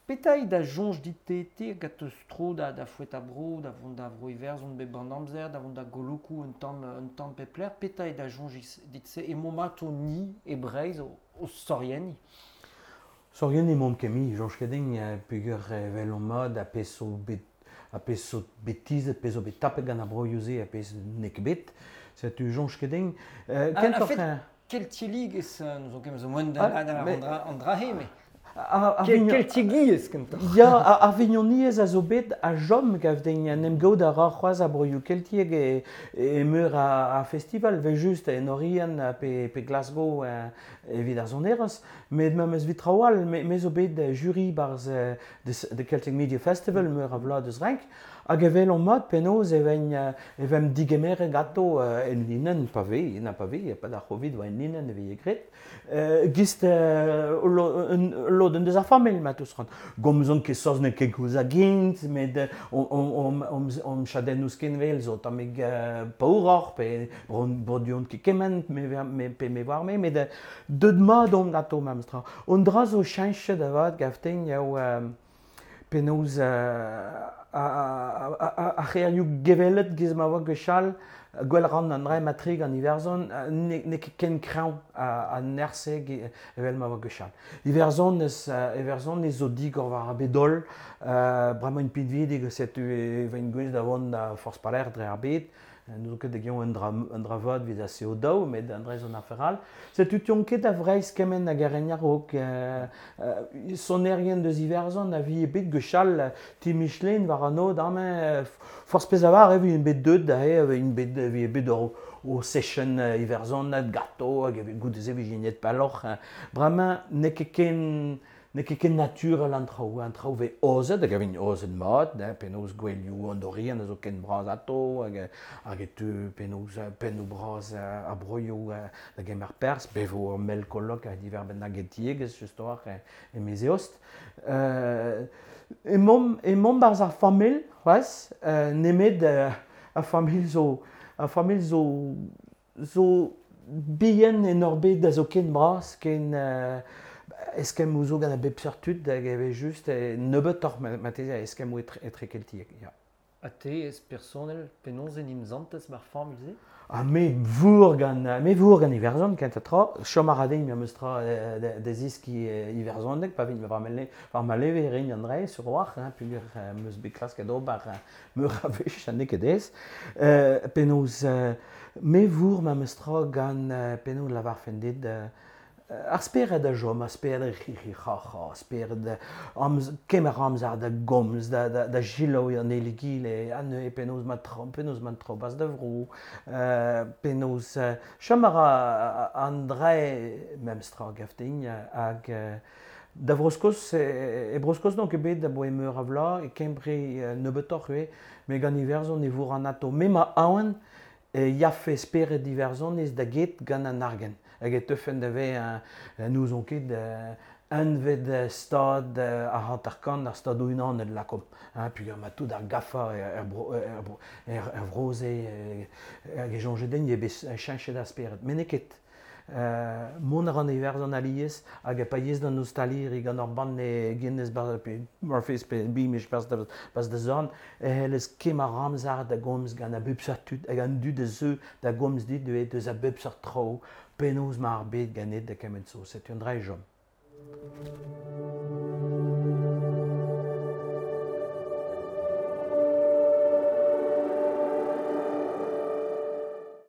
Petra eo da soñj dit-te hag a teus tro da, da foetañ bro, da vont da vro Iwerzhon bep an amzer, da vont da golokoù un tamm, un tamm pep lec'h, petra eo da soñj dit-se emaomp ato ni e Breizh o, o sorienniñ? Sorienniñ emaomp ket mui, soñj ket din, peogwir evel omp mat ha pezh zo bet ha pezh zo bet tizhet, pezh zo bet tapet gant ar broioù-se ha pezh n'eo ket bet. Setu soñj ket din. Euh, kentoc'h... Keltiegezh, n'ouzon ket zo moaien da an dra-se, mais... Keltiegezh kentoc'h. Ya, ar vignoniezh a zo bet a chom gav din en em gaout a ra c'hoazh ar broioù keltiek e, e meur a, a festival, vel just en Oriant pe, pe Glasgow evit ar sonerezh, met memes evit traoù all, me, me zo bet jury barzh de Celtic Media Festival meur a vloaz deus renk, hag evel on mat penaos e ven e vem digemeret ganto en linenn pa vez, na pa vez, pa d'ar Covid oa en linenn e vez graet. Gist lodenn deus ar familh ma teus c'hoant. Gomzon ket saozneg ket koulz hag int, met om chadennoù skinwel zo tammig paouroc'h pe bordiont ket kement me, pe me war me, met deut mat on ganto memes tra. Un dra zo cheñchet avat gavten eo penaos ar c'hêrioù gevellet giz ma oa gwechall, gwell ran an dra matrik an Iwerzhon, n'eo ket ken kreñv an nerzh-se evel ma oa gwechall. Iwerzhon eus Iwerzhon ez zo digor war ar bed-holl, bremañ int pinvidik setu e ven gwez da vont da forzh paler dre ar bed, n'eus ket da gion un dra, un dra vat evit a C O daou, met an dra zo an afer all. Setu tion ket a Vreizh kement hag ar a-raok. Euh, euh, sonerien deus Iwerzhon a vi bet gwechall ti Michelin war an od amañ forzh pezh a var e vi un bet deut da e un bet vi bet o, o session iwerzhonat gato hag goude se vi gignet pelloc'h. Bremañ n'eo ket ken n'eo ket ken naturel an traoù, an traoù vez ozet, hag a vin ozet mat, penaos gwelioù an Oriant a zo ken bras ato, hag, hag e teu penaos pennoù bras a broioù da gemer perzh, bevo ur mell kolok a diverbenn hag etiegezh, just oar, e mezeost. Euh, emaomp, emaomp barzh ar familh, c'hoazh, euh, nemet euh, ar familh zo, ar familh zo, zo bihan en ur bed a zo ken bras, ken... Euh, Eskemmoù zo gant a bep seurt tud hag e vez just nebeutoc'h marteze a eskemmoù etre, etre keltiek. Ya. Ha te ez personel penaos en em santez mar familh-se? Ah, me vour gant, me vour gant Iwerzhon kentañ tra, chom a ra din memes tra da zeskiñ iwerzhoneg, pa vin war ma leve rin an dre sur war, hein, peogwir meus bet klasket ober meur a wech ha n'eo ket aes. Euh, penaos, me vour memes tra gant penaos lavarfen dit ar spered a chom, ar spered c'hi-c'hi-c'ha-c'ha, ar spered amz, kemer amzer da gomz, da, da, da selaou an eil egile, an e penaos ma tro, penaos ma tro bas da vro, euh, penaos chom a ra an dre memes tra gav din hag da Vro-Skos, e, e Bro-Skos n'on ket bet da boe meur a vloaz, e Kembre nebeutoc'h ivez, met gant Iwerzhon e vour an ato. Me ma aon e yafe spered Iwerzhon ez da get gant an argent. Hag e teufen da vez n'ouzon ket unved stad ar hanter-kant ar stadoù unanet lakomp. Peogwir ma tout ar gafa er, er, er, er vro-se hag e soñj din eo bet cheñchet ar spered. Met n'eo ket. Euh, mont a ran Iwerzhon alies hag a pa yez d'an ostaliri gant ar banne Guinness bar pe Murphy's pe Beamish bas da, bas da zorn e c'hellez kemer amzer da gomz gant a bep seurt tud hag an dud a zeu da gomz dit deus a bep seurt traoù penaos ma ar bed ganet da kement zo. Setu un dra e chom.